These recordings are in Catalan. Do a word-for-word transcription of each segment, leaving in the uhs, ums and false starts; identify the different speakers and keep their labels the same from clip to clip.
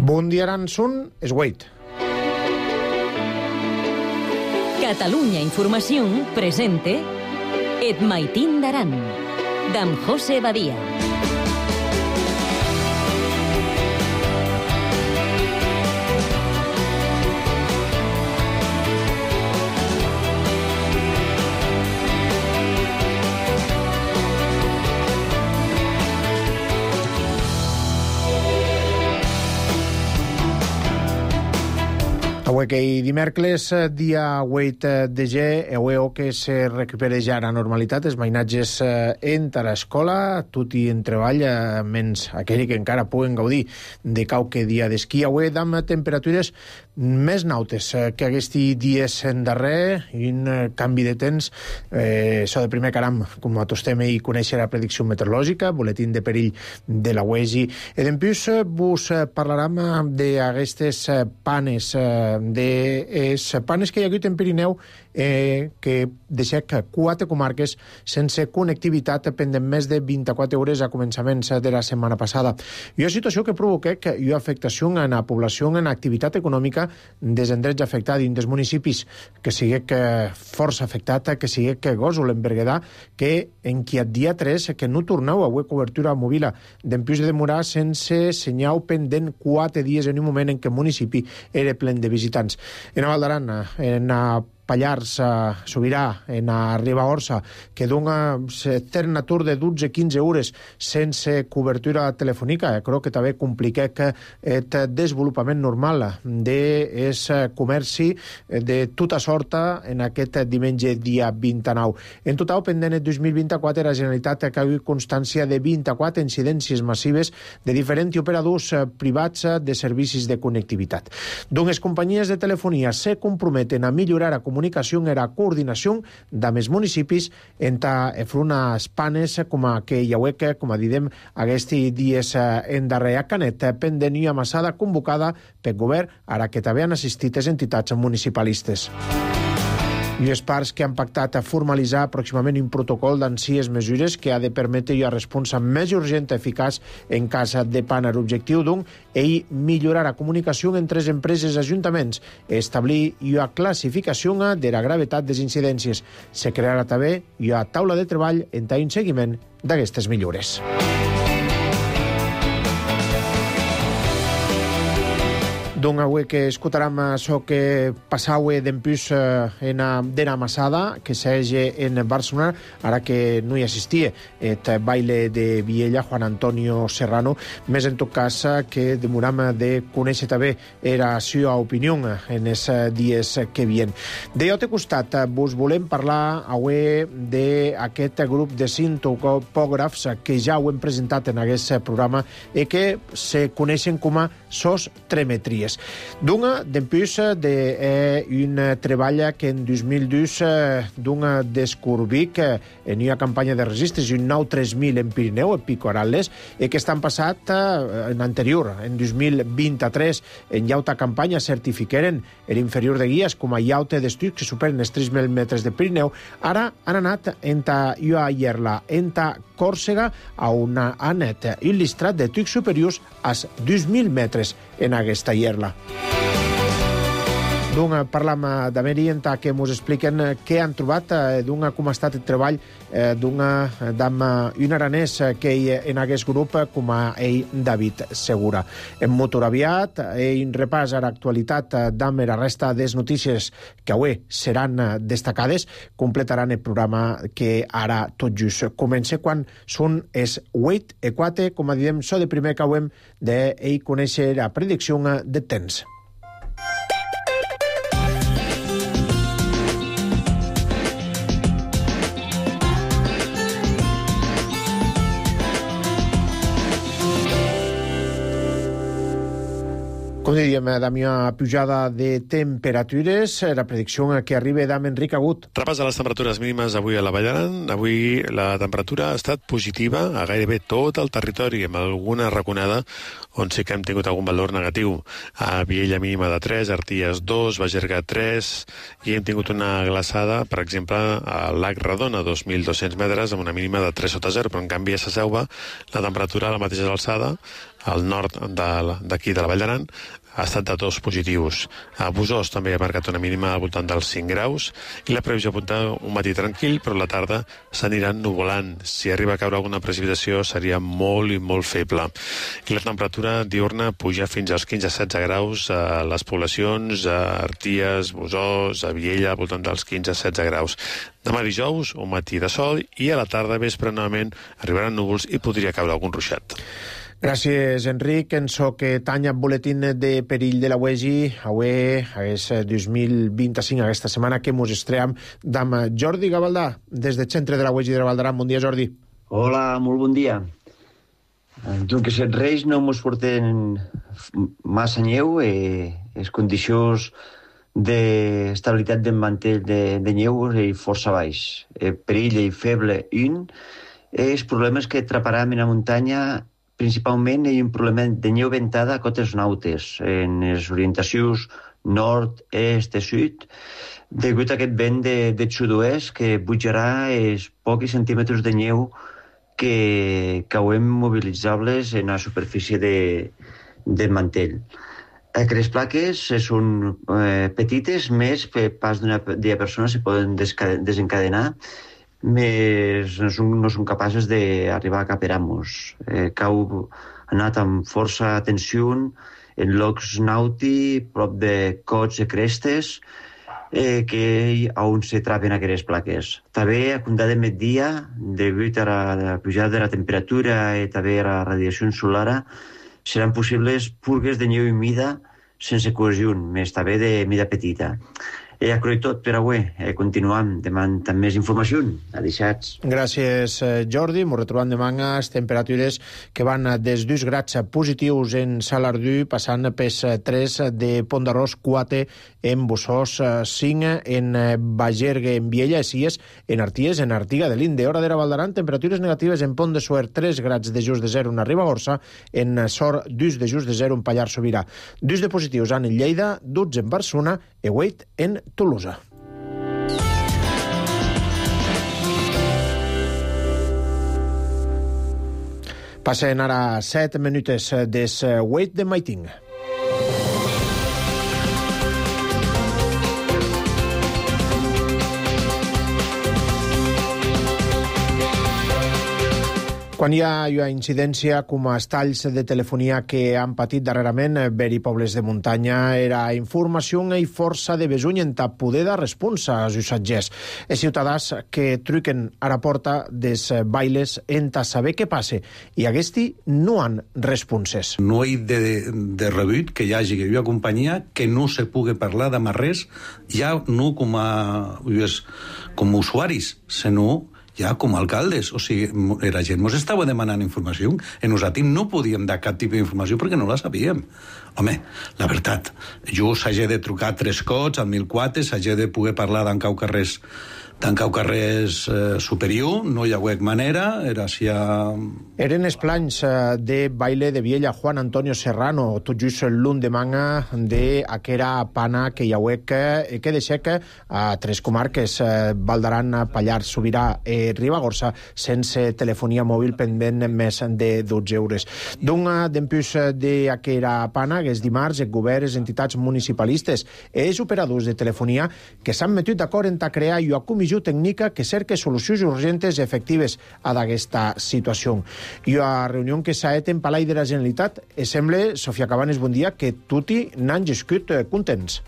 Speaker 1: Bundiaransun es Wait.
Speaker 2: Catalunya Informació presente Et Maitín d'Aran, d'en José Badia.
Speaker 1: Avui que dimecres, dia vuit de gener, avui que se recupera ja la normalitat, els mainatges entra a l'escola, tot i en treball, menys aquells que encara puguen gaudir de qualque dia d'esquí. Avui amb temperatures més nautes que aquests dies en darrer, i un canvi de temps. Eh, això de primer caram, com acostem i conèixer la predicció meteorològica, boletín de perill de la U E S I. I després vos parlarem d'aquestes panes, de les panes que hi ha hagut en Pirineu, eh, que deixa quatre comarques sense connectivitat pendent més de vint-i-quatre hores a començaments de la setmana passada. I una situació que provoca que hi ha afectació en la població, en l'activitat econòmica dels endrets afectats, dins dels municipis, que sigui que força afectat, que sigui que Gósol, en Berguedà, que en qui el dia tres, que no torneu a haver cobertura mòbil d'en plus de demorar sense senyal pendent quatre dies en un moment en què el municipi era plen de visitants. En a Val d'Aran, en a Pallars, a Sobirà, en a Ribagorça, que dona cert atur de dotze a quinze hores sense cobertura telefònica. Crec que també complica el desenvolupament normal del comerci de tota sorta en aquest diumenge dia vint-i-nou. En total, pendent el dos mil vint-i-quatre, la Generalitat ha hagut constància de vint-i-quatre incidències massives de diferents operadors privats de servicis de connectivitat. Doncs les companyies de telefonia se comprometen a millorar la comunicació comunicació i la coordinació d'amés municipis entre unes panes com a que hi ha, com a didem, aquests dies en darrer a Canet, pendent i amassada convocada pel govern, ara que també han assistit les entitats municipalistes. I les parts que han pactat a formalitzar pròximament un protocol d'ancies mesures que ha de permetre una resposta més urgent i eficaç en cas de pana. L'objectiu, doncs, és millorar la comunicació entre les empreses i ajuntaments, establir una classificació de la gravetat de les incidències. Se crearà també una taula de treball en un seguiment d'aquestes millores. Donc avui que escoltarem això que passava d'empús en d'ena amassada, que s'hagi en Barcelona, ara que no hi assistia el baile de Viella, Juan Antonio Serrano, més en tot cas que demoram de conèixer també la seva opinió en els dies que vien. De l'altre costat, vos volem parlar avui d'aquest grup de cinc topògrafs que ja ho hem presentat en aquest programa i que se coneixen com a sos tremetries. D'un d'empús d'un treball que en dos mil dos d'un descobrit en una campanya de registres i un nou tres mil en Pirineu, en Pico Arales, i que estan passat en anterior, en dos mil vint-i-tres, en llauta campanya certifiqueren l'inferior de guies com a llauta d'estuis que superen els tres mil metres de Pirineu. Ara han anat enta Ua Ierla, enta Còrsega, on han anat il·lustrat de tucs superiors als dos mil metres en aquesta ierla. Doncs parlam d'Ameri enta que ens expliquen què han trobat, d'un com ha estat el treball d'un un aranès que hi en aquest grup com a ell David Segura. En motor aviat, en repàs a l'actualitat d'amb la resta de les notícies que avui seran destacades, completaran el programa que ara tot just comença quan són els vuit i quatre, com a diem, so de primer que hem d'ell conèixer la predicció de temps. Com diríem, Damià, pujada de temperatures, la predicció que arriba d'Am Enric Agut.
Speaker 3: Repàs de les temperatures mínimes avui a la Vall d'Aran. Avui la temperatura ha estat positiva a gairebé tot el territori, amb alguna raconada on sí que hem tingut algun valor negatiu. A Viella mínima de tres, Arties dos, Bagerga tres, i hem tingut una glaçada, per exemple, a Lac Redona, dos mil dos-cents metres, amb una mínima de tres sota zero, però en canvi a Sa Selva la temperatura a la mateixa alçada al nord d'aquí de la Vall d'Aran, ha estat de dos positius. A Busós també ha marcat una mínima al voltant dels cinc graus i la previsió apunta un matí tranquil, però a la tarda s'aniran nuvolant. Si arriba a caure alguna precipitació seria molt i molt feble. I la temperatura diurna puja fins als quinze a setze graus a les poblacions, a Arties, Busós, a Viella, al voltant dels quinze a setze graus. Demà dijous, un matí de sol i a la tarda, vespre, novament, arribaran núvols i podria caure algun ruixat.
Speaker 1: Gràcies, Enric. En so que tanya boletín de perill de la U E G I, avui, aquest dos mil vint-i-cinc, aquesta setmana que mos estream amb Jordi Gavaldà, des del centre de la U E G I de la Vall d'Aran. Bon dia, Jordi.
Speaker 4: Hola, molt bon dia. Tu que set reis no mos porten massa neu, eh, les condicions d'estabilitat del mantell de, de neu i força baix. Eh, perill i feble un, els problemes que atraparam en la muntanya principalment hi ha un problema de neu ventada a cotes nautes, en les orientacions nord, est i sud, degut a aquest vent de, de sud-oest que pujarà els pocs centímetres de neu que cauen mobilitzables en la superfície de, del mantell. Aquestes plaques són eh, petites, més per pas d'una persona se poden desencadenar, més no són, no són capaces d'arribar a cap per amos. Eh, cau ha anat amb força atenció en llocs nauti, prop de cots i crestes, eh, que on se traven aquestes plaques. També a comptar de migdia, degut a la pujada de la temperatura i també a la radiació solar, seran possibles purgues de neu humida sense cohesió, més també de mida petita. I ja crec tot per avui. Eh, continuam demà amb més informació. Adeixats.
Speaker 1: Gràcies, Jordi. Ens retrobem demà amb temperatures que van des dos grads positius en Salardú, passant pels tres de Pont d'Arròs, quatre en Busós, cinc en Bagergue, en Viella, sis en Arties, en Artiga de l'Inde. Hora d'era Vall d'Aran, temperatures negatives en Pont de Suert, tres grads de just de zero en Ribagorça, en Sor, dos de just de zero en Pallars Sobirà. Dos de positius en Lleida, dotze en Barcelona i vuit en Tolosa. Passen ara set minutes des vuit de Maiting. Quan hi ha, hi ha incidència com els talls de telefonia que han patit darrerament veri pobles de muntanya, era informació i força de besuny en poder de responsa als usatgers. Els ciutadans que truquen a la porta des bailes en saber què passa i aquesti no han responses.
Speaker 5: No hi de, de rebut que hi hagi que hi ha companyia que no se pugui parlar de res, ja no com a, com a usuaris, sinó ja com a alcaldes. O sigui, la gent ens estava demanant informació i nosaltres no podíem dar cap tipus d'informació perquè no la sabíem. Home, la veritat, jo s'hagi de trucar tres cops al mil quatre, s'hagi de poder parlar d'en cau carrers d'en cau carrers eh, superior, no hi ha hagut manera, era si ha...
Speaker 1: Eren els plans de baile de Viella Juan Antonio Serrano, tot just l'endemà d'aquera pana que hi ha hagut que, que deixa que a tres comarques, eh, Vall d'Aran, Pallars Sobirà i Ribagorça, sense telefonia mòbil pendent més de dotze euros. D'un d'empús d'aquera pana, que és dimarts, el govern, les entitats municipalistes i els operadors de telefonia que s'han metut d'acord en crear una comissió tècnica que cerca solucions urgentes i efectives a aquesta situació. I a reunió que s'ha fet en Palai de la Generalitat, e sembla, Sofia Cabanes, bon dia, que tutti n'han gescut contents.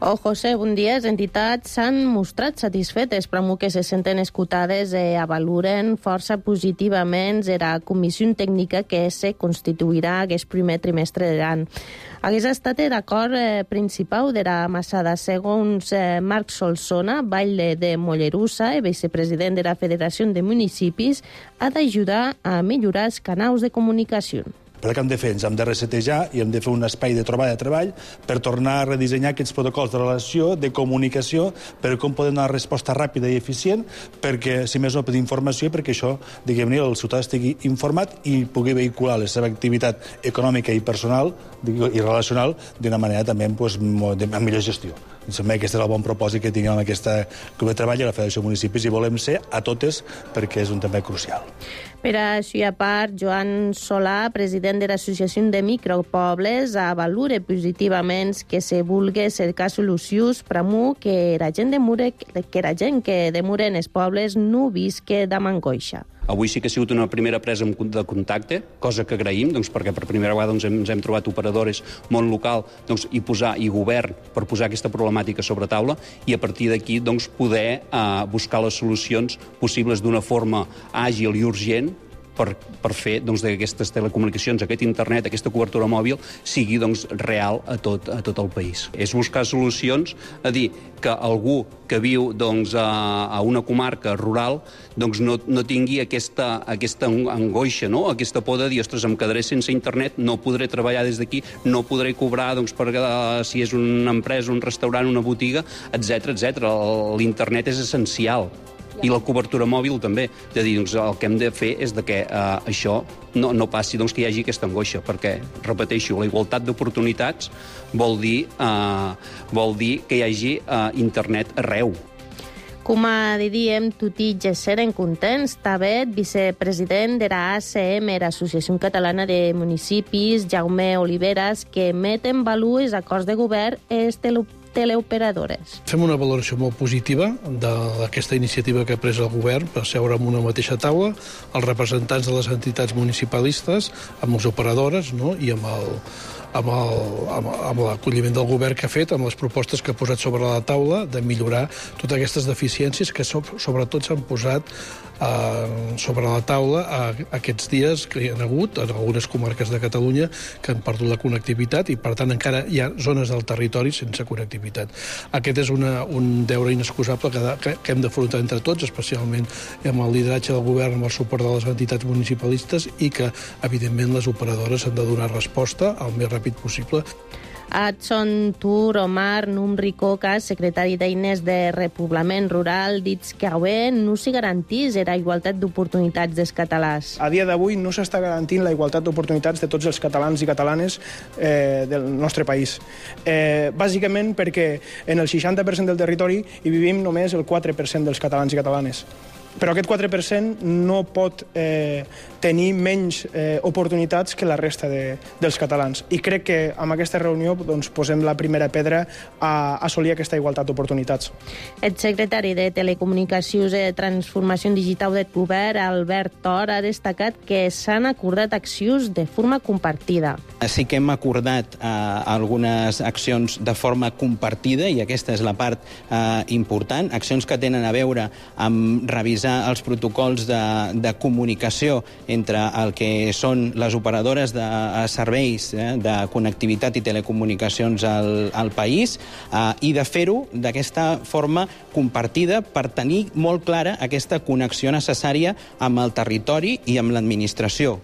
Speaker 6: Oh, José, bon dia. Les entitats s'han mostrat satisfetes, però que se senten escoltades i avaluren força positivament la comissió tècnica que se constituirà aquest primer trimestre de l'any. Aquest ha estat l'acord eh, principal de la Massada, segons eh, Marc Solsona, baile de Mollerussa i vicepresident de la Federació de Municipis, ha d'ajudar a millorar els canals de comunicació.
Speaker 7: Però què hem de fer? Ens hem de resetejar i hem de fer un espai de trobada de treball per tornar a redissenyar aquests protocols de relació, de comunicació, per com poden donar resposta ràpida i eficient, perquè, si més no, per informació, perquè això, diguem-ne, el ciutadà estigui informat i pugui vehicular la seva activitat econòmica i personal i relacional d'una manera també pues, amb millor gestió. Em sembla que aquest és el bon propòsit que tinguem en aquesta grup de treball a la Federació de Municipis i volem ser a totes perquè és un tema crucial.
Speaker 6: Per això, a part, Joan Solà, president de l'Associació de Micropobles, avalura positivament que se vulgui cercar solucions per que la gent, de mure, que la gent que demura en els pobles no visque de mangoixa.
Speaker 8: Avui sí que ha sigut una primera presa de contacte, cosa que agraïm, doncs, perquè per primera vegada doncs, ens hem trobat operadores, món local doncs, i, posar, i govern per posar aquesta problemàtica sobre taula i a partir d'aquí doncs, poder eh, buscar les solucions possibles d'una forma àgil i urgent per, per fer doncs, d'aquestes telecomunicacions, aquest internet, aquesta cobertura mòbil, sigui doncs, real a tot, a tot el país. És buscar solucions, a dir, que algú que viu doncs, a, a una comarca rural doncs, no, no tingui aquesta, aquesta angoixa, no? Aquesta por de dir, ostres, em quedaré sense internet, no podré treballar des d'aquí, no podré cobrar doncs, per, uh, si és una empresa, un restaurant, una botiga, etcètera, etcètera. L'internet és essencial. I la cobertura mòbil també. És a dir, doncs, el que hem de fer és de que eh, això no, no passi doncs, que hi hagi aquesta angoixa, perquè, repeteixo, la igualtat d'oportunitats vol dir, eh, vol dir que hi hagi eh, internet arreu.
Speaker 6: Com a diem, tutti ja seren contents. També vicepresident de la A C M, l'Associació Catalana de Municipis, Jaume Oliveras, que emet en valor els acords de govern és teleoperadores.
Speaker 9: Fem una valoració molt positiva d'aquesta iniciativa que ha pres el govern per seure en una mateixa taula, els representants de les entitats municipalistes, amb les operadores, no? I amb el, amb el, amb, amb l'acolliment del govern que ha fet, amb les propostes que ha posat sobre la taula de millorar totes aquestes deficiències que so, sobretot s'han posat eh, sobre la taula eh, aquests dies que hi ha hagut en algunes comarques de Catalunya que han perdut la connectivitat i per tant encara hi ha zones del territori sense connectivitat. Aquest és una, un deure inexcusable que, que, que hem d'afrontar entre tots, especialment amb el lideratge del govern, amb el suport de les entitats municipalistes i que, evidentment, les operadores han de donar resposta al més ràpid possible.
Speaker 6: Adson Tur Omar Numri Coca, secretari d'Eines de Repoblament Rural, dits que avui no s'hi garantís la igualtat d'oportunitats dels catalans.
Speaker 10: A dia d'avui no s'està garantint la igualtat d'oportunitats de tots els catalans i catalanes eh, del nostre país. Eh, bàsicament perquè en el seixanta per cent del territori hi vivim només el quatre per cent dels catalans i catalanes. Però aquest quatre per cent no pot eh, tenir menys eh, oportunitats que la resta de, dels catalans. I crec que amb aquesta reunió doncs, posem la primera pedra a assolir aquesta igualtat d'oportunitats.
Speaker 6: El secretari de Telecomunicacions i Transformació Digital del Govern, Albert Tor, ha destacat que s'han acordat accions de forma compartida.
Speaker 11: Sí que hem acordat eh, algunes accions de forma compartida, i aquesta és la part eh, important, accions que tenen a veure amb revisar els protocols de, de comunicació entre el que són les operadores de serveis eh, de connectivitat i telecomunicacions al, al país eh, i de fer-ho d'aquesta forma compartida per tenir molt clara aquesta connexió necessària amb el territori i amb l'administració.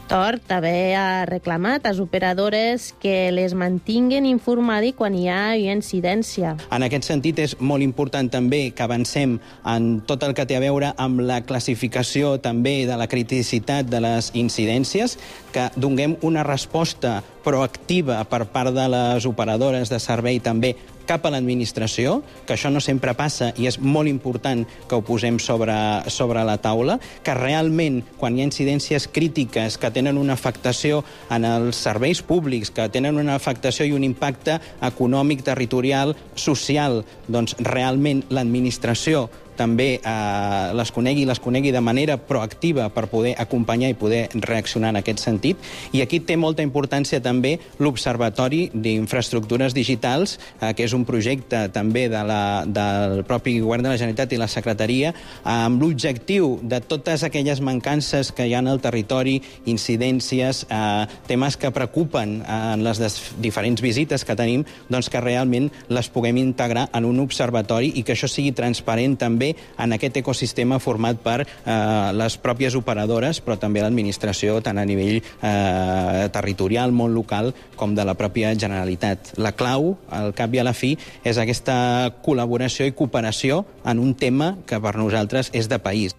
Speaker 6: Tor també ha reclamat a les operadores que les mantinguen informades quan hi ha incidència.
Speaker 11: En aquest sentit, és molt important també que avancem en tot el que té a veure amb la classificació també de la criticitat de les incidències, que donem una resposta proactiva per part de les operadores de servei també cap a l'administració, que això no sempre passa i és molt important que ho posem sobre, sobre la taula, que realment quan hi ha incidències crítiques que tenen una afectació en els serveis públics, que tenen una afectació i un impacte econòmic, territorial, social, doncs realment l'administració també eh, les conegui, les conegui de manera proactiva per poder acompanyar i poder reaccionar en aquest sentit. I aquí té molta importància també l'Observatori d'Infraestructures Digitals, eh, que és un projecte també de la, del propi Govern de la Generalitat i la Secretaria, amb l'objectiu de totes aquelles mancances que hi ha al territori, incidències, eh, temes que preocupen en les diferents visites que tenim, doncs que realment les puguem integrar en un observatori i que això sigui transparent també en aquest ecosistema format per eh, les pròpies operadores, però també l'administració, tant a nivell eh, territorial, món local, com de la pròpia Generalitat. La clau, al cap i a la fi, és aquesta col·laboració i cooperació en un tema que per nosaltres és de país.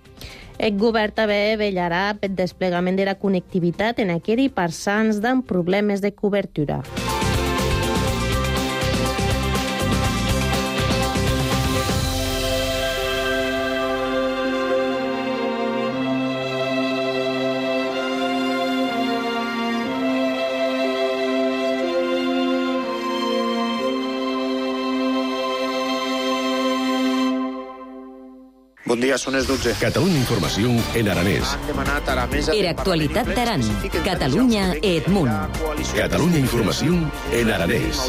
Speaker 6: El govern també vetllarà pel desplegament de la connectivitat en aquells parcents amb problemes de cobertura.
Speaker 12: Bon dia, són les dotze.
Speaker 13: Catalunya Informació en aranès.
Speaker 12: Han demanat a la mesa...
Speaker 2: Era actualitat d'Aran. Catalunya e Edmunt.
Speaker 13: Catalunya Informació en aranès.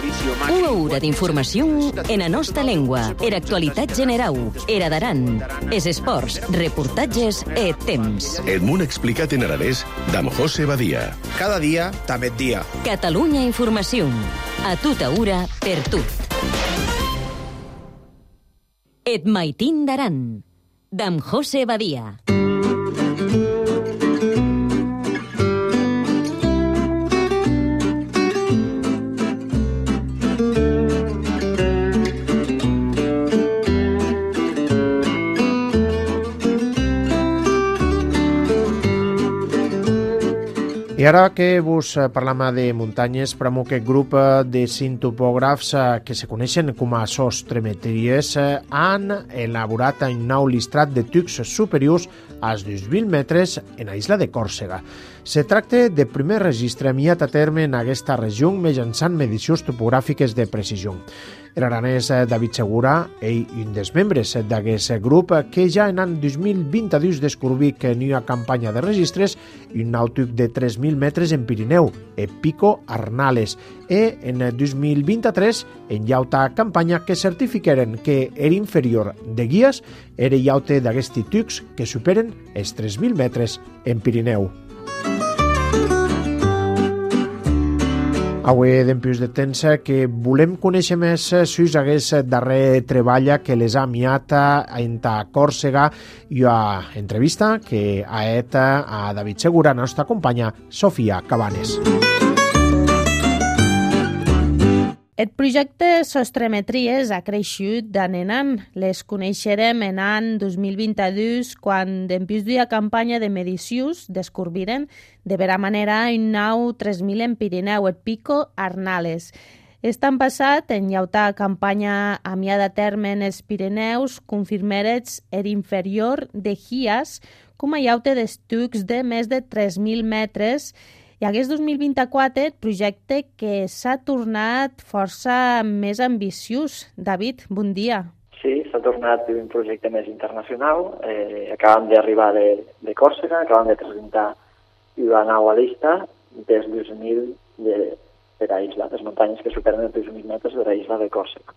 Speaker 2: Una hora d'informació en la nostra llengua. Era actualitat general. Era d'Aran. Es esports, reportatges e temps.
Speaker 13: Edmunt explicat en aranès d'Am José Badia.
Speaker 12: Cada dia, també dia.
Speaker 2: Catalunya Informació. A tota hora, per tot. Et maitin d'Aran. D'Am José Badia.
Speaker 1: I ara que vos parlam de muntanyes, pramo aquest grup de cinc topògrafs que se coneixen com a sostremetries han elaborat un nou listrat de tucs superiors als dos mil metres en la isla de Còrsega. Se tracta de primer registre enviat a terme en aquesta regió mitjançant medicions topogràfiques de precisió. L'aranès David Segura, ell un dels membres d'aquest grup, que ja en l'any dos mil vint-dos descobrí que n'hi ha campanya de registres un nou tuc de tres mil metres en Pirineu, el Pico Arnales, i en dos mil vint-tres en llauta campanya que certificaren que era inferior de guies era llaute d'aquests tucs que superen els tres mil metres en Pirineu. Avui d'empius de temps que volem conèixer més sus aquest darrer treball que les ha enviat en Còrsega i a entrevista que ha fet a David Segura, la nostra companya Sofia Cabanes.
Speaker 6: El projecte Sostremetries ha creixut d'any en any. Les coneixerem en l'any dos mil vint-dos, quan dempús d'una campanya de medicions descobriren de vera manera un nou tres mil en Pirineu, el Pico Arnales. Estan passat, en llauta campanya amiada a terme en els Pirineus, confirmerets er inferior de Gias com a llaute d'estucs de més de tres mil metres. I aquest dos mil vint-quatre, el projecte que s'ha tornat força més ambiciós. David, bon dia.
Speaker 14: Sí, s'ha tornat un projecte més internacional. Eh, acabem d'arribar de, de Còrsega, acabem de presentar una nova llista dels dos mil de, de la isla, les muntanyes que superen els dos mil metres de la isla de Còrsega.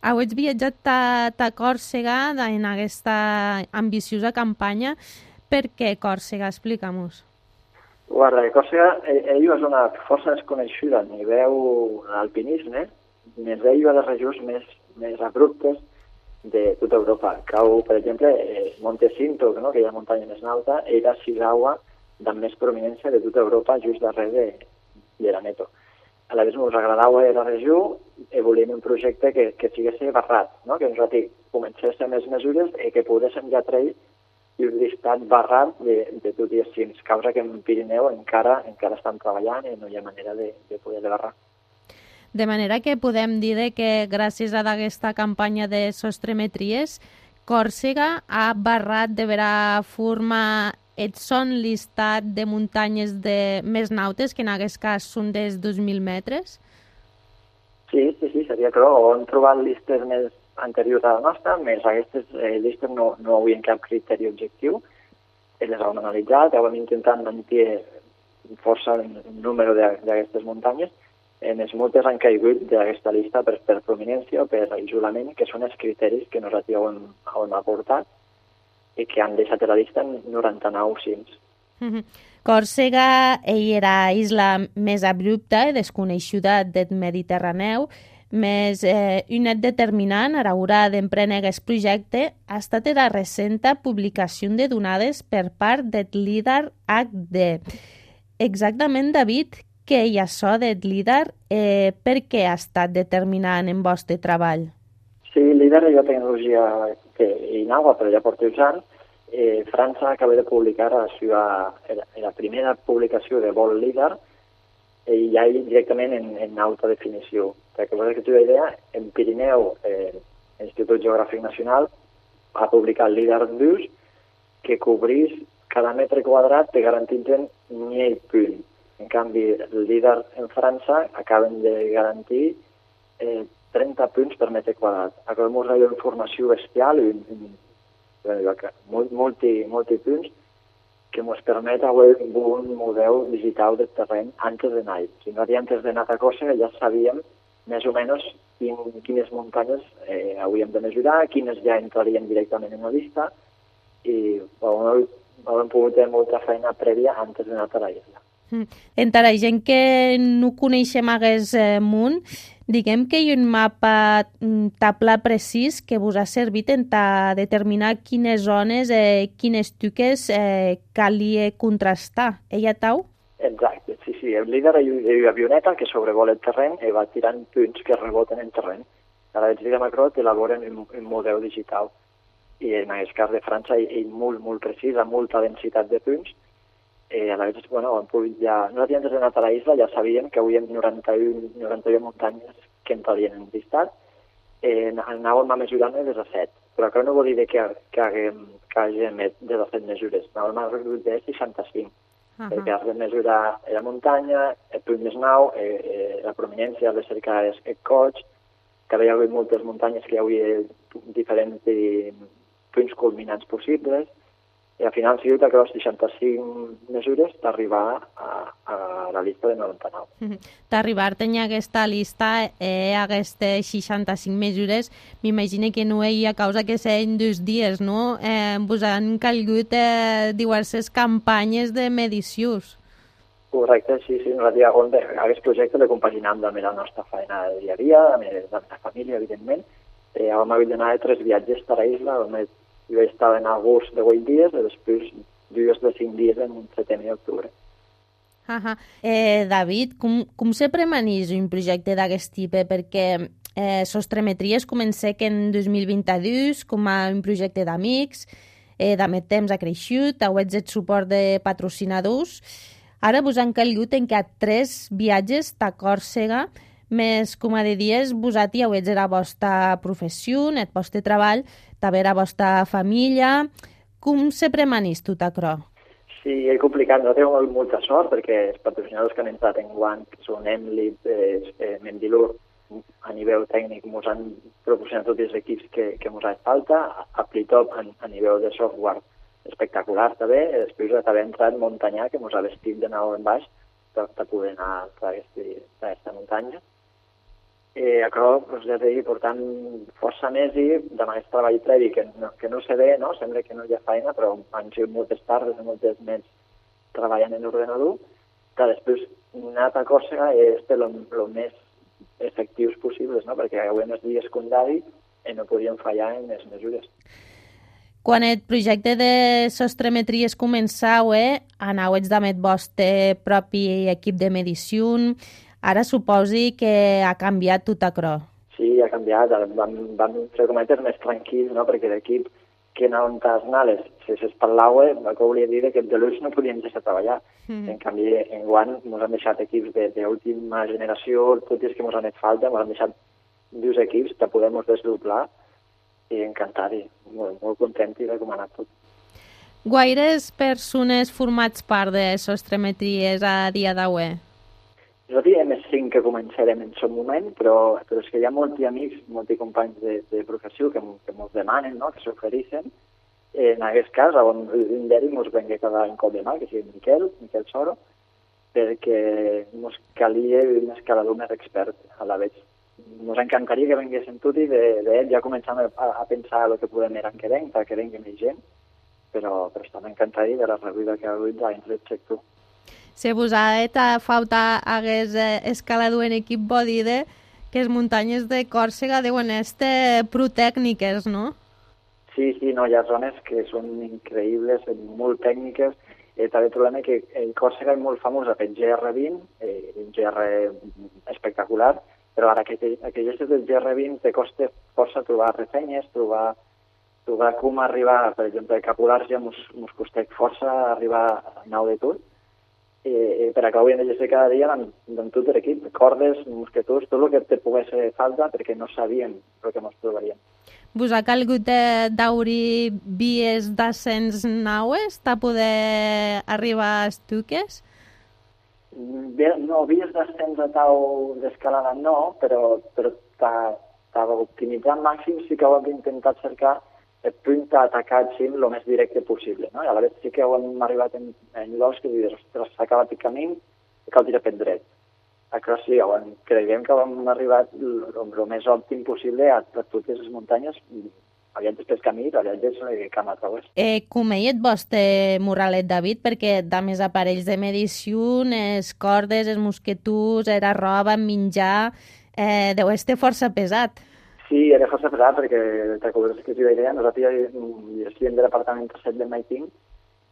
Speaker 6: Heu viatjat a, a Còrsega en aquesta ambiciosa campanya. Per què Còrsega? Explica-mos.
Speaker 14: Guarda, Còrsega ell és una força desconeguda a nivell d'alpinisme, més ell de les regions més, més abruptes de tota Europa. Cau, per exemple, Monte Cinto, no? Que hi ha muntanya més alta, era Shigawa, de més prominència de tota Europa, just darrere de, de l'Aneto. A la vegada ens agradava la regió i volíem un projecte que, que sigués barrat, no? Que nosaltres comencéssim les mesures i que poguéssim ja treure i un llistat barrat de, de tots els cims, causa que en Pirineu encara encara estan treballant i no hi ha manera de, de poder barrar.
Speaker 6: De manera que podem dir que gràcies a aquesta campanya de sostremetries, Còrsega ha barrat de vera forma el son llistat de muntanyes de més nautes, que en aquest cas són dels dos mil metres?
Speaker 14: Sí, sí, sí, seria clar. On trobat llistes més anteriors a la nostra, més aquestes eh, llistes no, no havien cap criteri objectiu. Les hem analitzat, hem intentat mantenir força un número d'aquestes muntanyes. En els moltes han caigut d'aquesta llista per, per prominència o per isolament, que són els criteris que nosaltres hem, hem aportat i que han deixat a la llista noranta-nou cims.
Speaker 6: Mm-hmm. Còrsega era isla més abrupta i desconeguda del Mediterraneu, més eh, un net determinant a l'hora d'emprendre aquest projecte ha estat la recent publicació de donades per part del líder H D. Exactament, David, què hi ha això del líder? Eh, per què ha estat determinant en vostre treball?
Speaker 14: Sí, líder és la tecnologia que innova, però ja porta uns anys. Eh, França acaba de publicar la, seva, la primera publicació de vol líder i ja directament en, en alta definició. Perquè vosaltres que teniu idea, en Pirineu, eh, l'Institut Geogràfic Nacional ha publicat el líder dos que cobrís cada metre quadrat te garantint mil punts. En canvi, el líder en França acaben de garantir eh, trenta punts per metre quadrat. Acabem de una informació bestial, un, un, multi, multipunts, que ens permet avui un model digital del terreny antes d'anar. Si no antes d'anar a Còrsega ja sabíem més o menys quin, quines muntanyes eh, hauríem de mesurar, quines ja entrarien directament en la llista, i bueno, hem pogut fer molta feina prèvia antes d'anar a la isla.
Speaker 6: Entre la gent que no coneixem hagués munt, diguem que hi ha un mapa tabla precís que vos ha servit en determinar quines zones, eh, quines tuques eh, calia contrastar. Ella tau?
Speaker 14: Exacte, sí, sí. El líder hi ha una avioneta que sobrevola el terreny i va tirant punts que reboten en terreny. Ara els de Macrot elaboren un, un model digital. I en aquest cas de França hi ha molt, molt precís, amb molta densitat de punts. Eh, a la vegada, bueno, ja, nosaltres antes d'anar a la isla ja sabíem que hi havia noranta-u muntanyes que entrarien en llistat. Eh, anàvem a mesurar-ne des de set, però això no vol dir que, que, haguem, que hàgim de de set mesures. Anàvem a reduir de seixanta-cinc, uh -huh. perquè has de mesurar la muntanya, el punt més nou, eh, eh, la prominència, les cercades, el coig, que hi havia moltes muntanyes que hi havia diferents punts culminants possibles, i al final ha sigut aquelles seixanta-cinc mesures d'arribar a, a la llista de noranta-nou.
Speaker 6: D'arribar-te en aquesta llista, eh, aquestes seixanta-cinc mesures, m'imagino que no hi ha causa que siguin dos dies, no? Eh, vos han calgut eh, diverses campanyes de medicions.
Speaker 14: Correcte, sí, sí. Nosaltres aquest projecte l'he compaginat amb la nostra feina de dia a dia, amb la família, evidentment. Eh, vam haver d'anar de tres viatges a la isla, on jo vaig estar en agost de vuit dies i després dies de cinc dies en setembre i octubre.
Speaker 6: Uh -huh. eh, David, com, com se premanís un projecte d'aquest tipus? Perquè eh, Sostremetries comença que en dos mil vint-i-dos com a un projecte d'amics, eh, d'amè temps ha creixut, heu el suport de patrocinadors. Ara vos han calgut en que a tres viatges a Còrsega, més, com a de dies, vosaltres heu la vostra professió, el vostre treball, també la vostra família. Com se premanís tot això?
Speaker 14: Sí, és complicat. No tenim molta sort perquè els patrocinadors que han entrat en guant, que són Emlit, eh, eh, Mendilur, a nivell tècnic ens han proporcionat tots els equips que, que ens ha falta, Aplitop a, a nivell de software espectacular també, i després també ha entrat Montanyà, que ens ha vestit de nou en baix per, per poder anar a aquesta muntanya. Eh, això, doncs, ja t'he dit, portant força mesos amb aquest treball previ que no, que no se ve, no? Sembla que no hi ha feina, però han sigut moltes tardes i moltes nits treballant en l'ordenador, que després anar a Còrsega és el més efectius possibles, no? Perquè hi havia uns dies condari i no podíem fallar en les mesures.
Speaker 6: Quan el projecte de Sostremetries començau, eh, anàveu amb el vostre propi equip de medició. Ara suposi que ha canviat tot això.
Speaker 14: Sí, ha canviat. Vam, vam ser cometes més tranquils, no? Perquè l'equip que anaven a Snales, si s'espatlaua, el que volia dir que de l'ús no podíem deixar treballar. Mm. En canvi, en Guant ens han deixat equips d'última generació, tots els que ens han fet falta, ens han deixat dos equips que podem desdoblar i encantat, molt, molt content de com ha anat tot.
Speaker 6: Guaires persones formats part de Sostremetries a dia d'avui?
Speaker 14: Nosaltres hi ha més cinc que començarem en aquest moment, però, però és que hi ha molts amics, molts companys de, de professió que, que ens demanen, no? Que s'ofereixen. En aquest cas, on un d'ells ens venga cada any cop de mà, que sigui Miquel, Miquel Soro, perquè ens calia un escalador més expert a la vegada. Ens encantaria que venguessin tots i d'ell ja començam a, a pensar el que podem anar que venc, perquè vengui més gent, però, però està m'encantaria de la rebuda que ha hagut dins del sector.
Speaker 6: Si vos ha falta hagués escalador en equip, vol dir que les muntanyes de Còrsega deuen estar protècniques, no?
Speaker 14: Sí, sí, no, hi ha zones que són increïbles, molt tècniques. Eh, també trobem que en Còrsega és molt famosa pel G R vint, eh, un G R espectacular, però ara que aquelles del G R vint te costa força trobar ressenyes, trobar, trobar com arribar, per exemple, a Capolàrgia ens costa força arribar a nau de tot, eh, per acabar de llegir cada dia amb, amb tot l'equip, cordes, mosquetors, tot el que te pogués fer falta perquè no sabíem el que ens trobaríem.
Speaker 6: Vos ha calgut d'obrir vies d'ascens naues per poder arribar a Estuques?
Speaker 14: No, vies d'ascens a tau d'escalada no, però, però per optimitzar al màxim sí que ho hem intentat cercar el punt atacar el cim el més directe possible, no? I a la vegada sí que hem arribat en, en llocs que dius, ostres, s'ha acabat el camí i cal tirar per dret. Això sí, hem, creiem que hem arribat el més òptim possible a, a totes les muntanyes, aviat després camí, aviat és camp a través.
Speaker 6: Eh, com ell et vostre Morralet, David, perquè de més aparells de medició, les cordes, els mosqueturs, la roba, menjar, eh, deu estar força pesat.
Speaker 14: Sí, era força pesat perquè, te recordes que t'hi deia, nosaltres ja estem de l'apartament set de Maiting,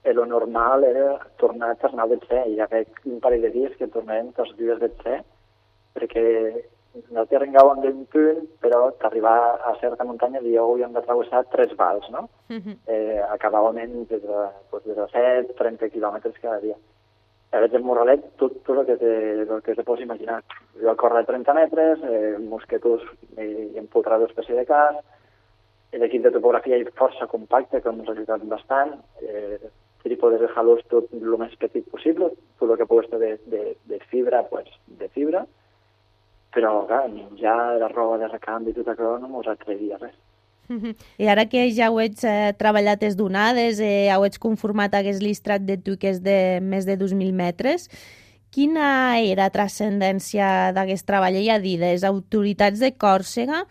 Speaker 14: i el normal era tornar a tornar del C, i ja veig un parell de dies que tornarem tots els dies del C, perquè no t'arrengàvem d'un punt, però t'arribar a certa muntanya i havíem de travessar tres vals, no? Uh-huh. eh, acabàvem des de, pues, des de set a trenta quilòmetres cada dia. A veure, el Morralet, tot, tot el que te, el que te pots imaginar. Jo a córrer trenta metres, eh, mosqueturs i empotrar d'espècie de cas, l'equip de topografia és força compacte, que ens ha ajudat bastant, eh, trípodes de halós tot el més petit possible, tot el que pugui estar de, de, de fibra, pues, de fibra, però, clar, menjar la roba de recanvi i tot això no mos atrevia res.
Speaker 6: I ara que ja ho ets eh, treballat les donades, eh, ho ets conformat aquest listrat de tu que és de més de dos mil metres, quina era la transcendència d'aquest treball? I a dir, les autoritats de Còrsega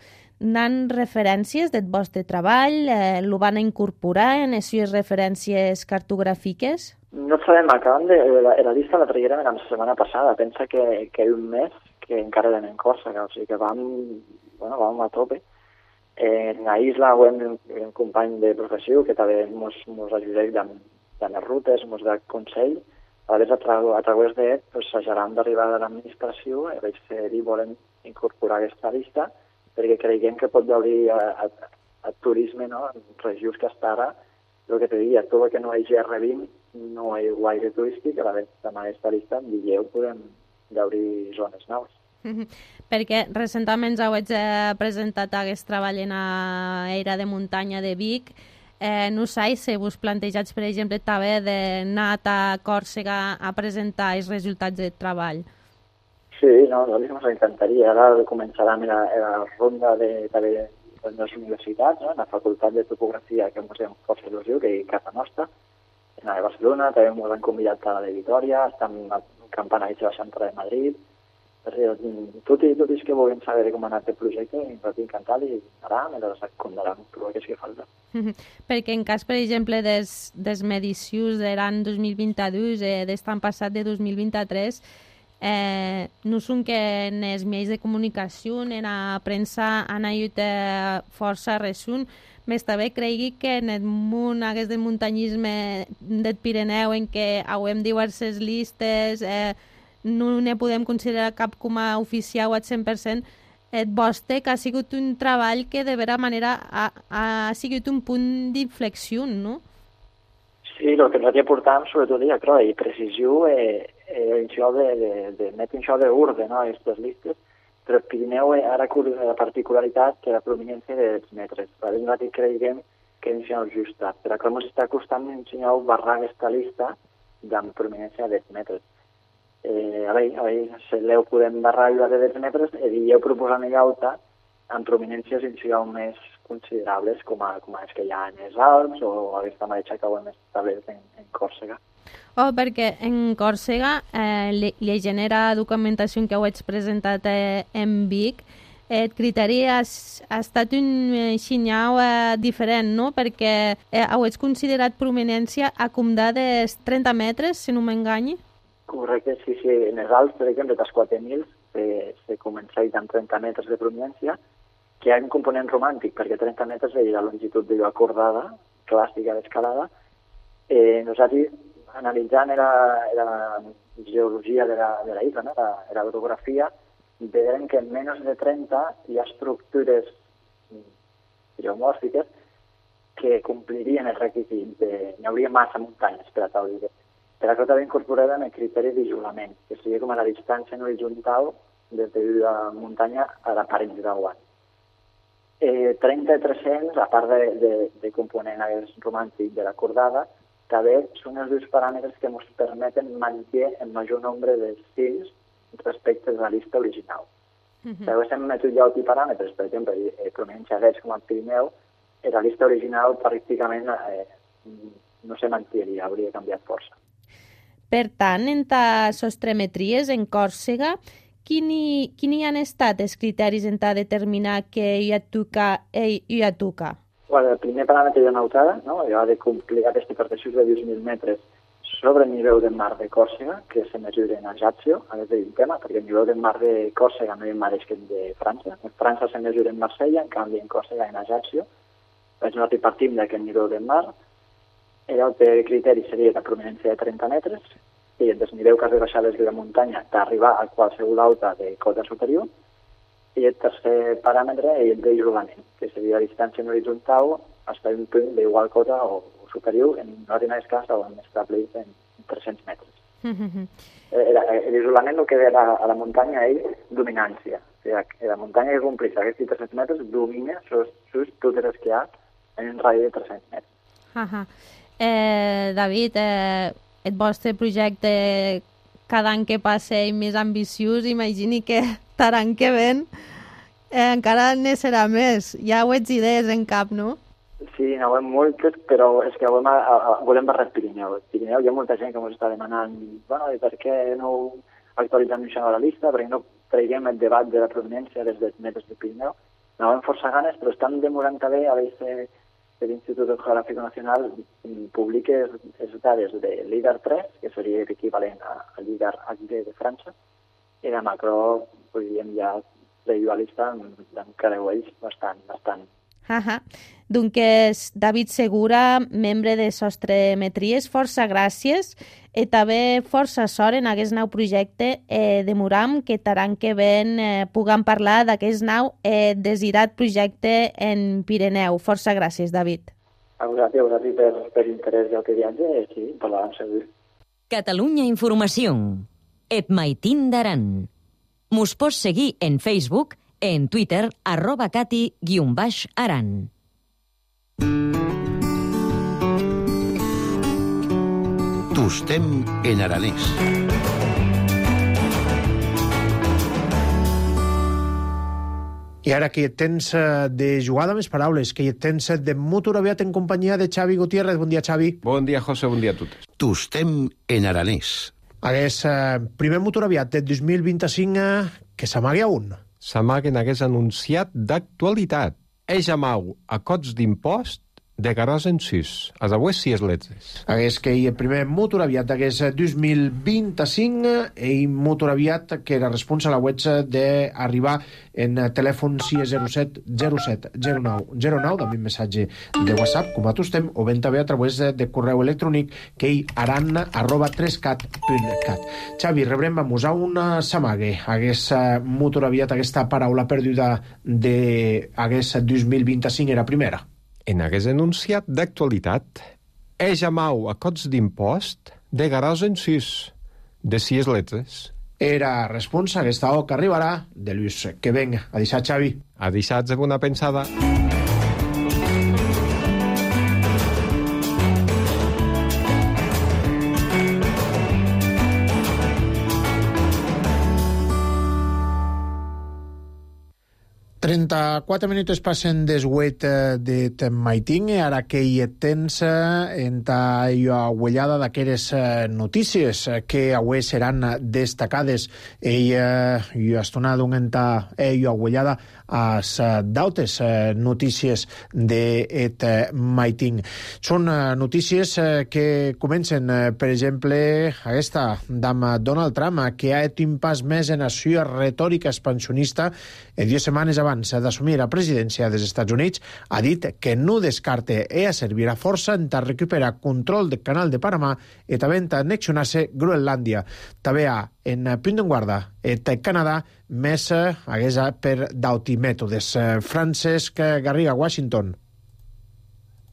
Speaker 6: nan referències del vostre treball, eh, lo van incorporar en les seves referències cartogràfiques?
Speaker 14: No sabem, acabem de... La, la llista la traguérem la setmana passada, pensa que, que un mes que encara eren en Còrsega, o sigui que vam, bueno, vam a tope. En la isla ho hem un company de professió que també ens ajuda amb, amb les rutes, ens da consell. A vegades a, tra a través d'ell pues, s'ajaran d'arribar a l'administració i vaig fer i volem incorporar aquesta llista perquè creiem que pot haver a, a, a turisme, no? En regions que està ara, el que te diria, tot el que no hi hagi R vint no hi ha gaire turístic, a la vegada amb aquesta llista en Villeu podem obrir zones noves.
Speaker 6: Perquè recentment ja ho haig eh, presentat aquest treball en la era de muntanya de Vic. Eh, no sé si vos plantejats, per exemple, també d'anar a Còrsega a presentar els resultats del treball.
Speaker 14: Sí, no, nosaltres ens encantaria. Ara començarem la, la ronda de, de, de les universitats, no? En la Facultat de Topografia, que ens hem força il·lusió, que és casa nostra, en la de Barcelona, també ens han convidat a la de Vitoria, estem campant a la Central de Madrid. Tot i, tot i que volem saber com ha anat el projecte, ens va encantat i anem i les condaran tot el que és que falta.
Speaker 6: Perquè en cas, per exemple, des, des medicions de l'any dos mil vint-dos, eh, d'estan passat de dos mil vint-tres, eh, no són que en els mitjans de comunicació, en la premsa, han hagut eh, força resum, més també cregui que en el món aquest del muntanyisme del Pirineu, en què hauem diverses llistes, eh, no ne podem considerar cap com a oficial al cent per cent, et vostre que ha sigut un treball que de vera manera ha, ha sigut un punt d'inflexió, no?
Speaker 14: Sí, el que nosaltres portàvem, sobretot, ja, clar, i precisió, eh, eh, això de, de, de metre això d'ordre, no?, aquestes llistes, però el Pirineu ara la particularitat que la prominència dels metres. Nosaltres creiem que és el justa, però clar, ens està costant ensenyar barrar aquesta llista amb prominència dels metres. Eh, a veure, a veure, si l'heu podem barrar la de deu metres i heu proposant en alta amb prominències inicial més considerables com a, com a les que hi ha en els Alps o aquesta mateixa que ho hem establert en, en Còrsega.
Speaker 6: Oh, perquè en Còrsega eh, li, li genera documentació que ho ets presentat eh, en Vic. El criteri ha, ha estat un eh, xinyau eh, diferent, no? Perquè eh, ho ets considerat prominència a comptar dels trenta metres, si no m'enganyi.
Speaker 14: Correcte, sí, sí. En els Alps, per exemple, dels quatre mil se, se comença amb trenta metres de prominència, que hi ha un component romàntic, perquè trenta metres és la longitud d'allò acordada, clàssica d'escalada. Eh, nosaltres, analitzant la, la geologia de la, de la isla, no? la, la orografia, veiem que en menys de trenta hi ha estructures geomòrfiques que complirien el requisit. N'hi hauria massa muntanyes per a tal idea. Per això també incorporem el criteri d'isolament, que seria com a la distància no horitzontal des de la muntanya a la paret d'aigua. Eh, trenta tres-cents, a part de, de, de component romàntic de la cordada, també són els dos paràmetres que ens permeten mantenir el major nombre de cims respecte a la llista original. Uh -huh. També estem estudiant els paràmetres, per exemple, eh, prominència d'Eix com el Pirineu, i la llista original pràcticament eh, no se mantindria, hauria canviat força.
Speaker 6: Per tant, en ta sostremetries en Còrsega, quini, quini han estat els criteris en ta determinar que hi ha toca i hi ha toca?
Speaker 14: Bueno, el primer paràmetre de nautada, no? Jo ha de complir aquesta hipertensió de deu mil metres sobre el nivell del mar de Còrsega, que se mesura en Ajaccio, a més d'un tema, perquè el nivell del mar de Còrsega no és el mateix que el de França. En França se mesura en Marsella, en canvi en Còrsega en Ajaccio. Doncs nosaltres partim d'aquest nivell del mar. L'altre criteri seria la prominència de trenta metres, i el desnivell que has de baixar des de la muntanya d'arribar a qualsevol alta de cota superior. I el tercer paràmetre és el d'isolament, que seria la distància en horitzontal fins a un punt d'igual cota o superior, en una ordinària escassa o en establert en tres-cents metres.
Speaker 6: Mm-hmm.
Speaker 14: L'isolament el que ve a la muntanya és dominància. O sigui, la muntanya que compleix aquests tres-cents metres domina just totes les que hi ha en un radi de tres-cents metres.
Speaker 6: Uh-huh. Eh, David, eh, el vostre projecte cada any que passa és més ambiciós, imagini que l'any que ven eh, encara ne serà més. Ja ho ets idees en cap, no?
Speaker 14: Sí, no ho hem moltes, però és que volem, a, a, volem barrar el Pirineu. El Pirineu hi ha molta gent que ens està demanant, bueno, i per què no actualitzem això a la llista, perquè no traiguem el debat de la provenència des dels metres del Pirineu. No hem força ganes, però estan demorant també a veure l'Institut Geogràfic Nacional publica les dades de l'I D A R tres, que seria l'equivalent a l'I D A R H D de França, i de macro, podríem ja treure la llista encara ho és bastant, bastant.
Speaker 6: Uh-huh. Doncs David Segura, membre de Sostremetries, força gràcies i també força sort en aquest nou projecte. Eh, demoram que l'any que ven eh, puguem parlar d'aquest nou eh, desirat projecte en Pirineu. Força gràcies, David.
Speaker 14: A vosaltres, a vosaltres per, per interès del que viatge, sí, parlarem segur.
Speaker 2: Catalunya Informació. Et maitin d'aran. Mos pots seguir en Facebook, en Twitter, arroba cati guion baix aran.
Speaker 13: Tostem en aranès.
Speaker 1: I ara que hi tens de jugada més paraules, que hi tens de motor aviat en companyia de Xavi Gutiérrez. Bon dia, Xavi.
Speaker 15: Bon dia, José, bon dia a totes.
Speaker 13: Tostem en aranès.
Speaker 1: Hagués eh, primer motor aviat de dos mil vint-i-cinc eh, que s'amagui a un.
Speaker 15: S'amaguen hagués anunciat d'actualitat. Eix amau a cots d'impost de garòs en sis. A avui sí és letres.
Speaker 1: Hagués que hi el primer motor aviat hagués dos mil vint-i-cinc i motor aviat que era responsable a la web d'arribar en telèfon sis zero set zero set zero nou zero nou, també un missatge de WhatsApp, com a tostem, o ben també a través de correu electrònic que hi aran arroba tres cat punt cat. Xavi, rebrem a musar una samague. Hagués motor aviat aquesta paraula perduda de hagués dos mil vint-i-cinc era primera.
Speaker 15: En hagués anunciat d'actualitat. Eix amau a cots d'impost de garòs en sis. De sis letres.
Speaker 1: Era responsa aquesta o que arribarà de Lluís. Que venga. A deixar, Xavi.
Speaker 15: A deixar-se bona pensada.
Speaker 1: trenta-quatre minuts passen des huit de maiting, ara que hi tens en ta huellada d'aquelles notícies que avui seran destacades. Ella hi ha estonat un en ta huellada as d'altres notícies d'et maiting. Són notícies que comencen, per exemple, aquesta d'amb Donald Trump, que ha fet un pas més en la seva retòrica expansionista en dues setmanes abans d'assumir la presidència dels Estats Units, ha dit que no descarte e a servir a força en ta recuperar control del canal de Panamà i també en ta annexionar-se Groenlàndia. També ha en punt en guarda et Canadà més hagués per d'auti mètodes. Francesc Garriga, Washington.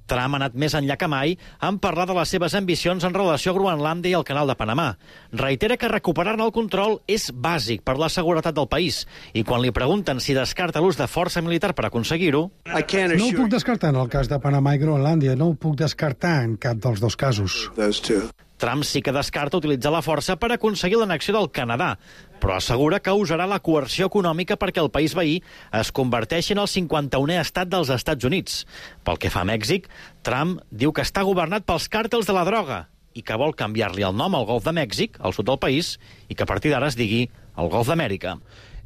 Speaker 16: Trump ha anat més enllà que mai en parlar de les seves ambicions en relació a Groenlàndia i el canal de Panamà. Reitera que recuperar-ne el control és bàsic per la seguretat del país i quan li pregunten si descarta l'ús de força militar per aconseguir-ho...
Speaker 17: No ho puc descartar en el cas de Panamà i Groenlàndia, no ho puc descartar en cap dels dos casos.
Speaker 16: Trump sí que descarta utilitzar la força per aconseguir l'annexió del Canadà, però assegura que usarà la coerció econòmica perquè el país veí es converteixi en el cinquanta-unè estat dels Estats Units. Pel que fa a Mèxic, Trump diu que està governat pels càrtels de la droga i que vol canviar-li el nom al Golf de Mèxic, al sud del país, i que a partir d'ara es digui el Golf d'Amèrica.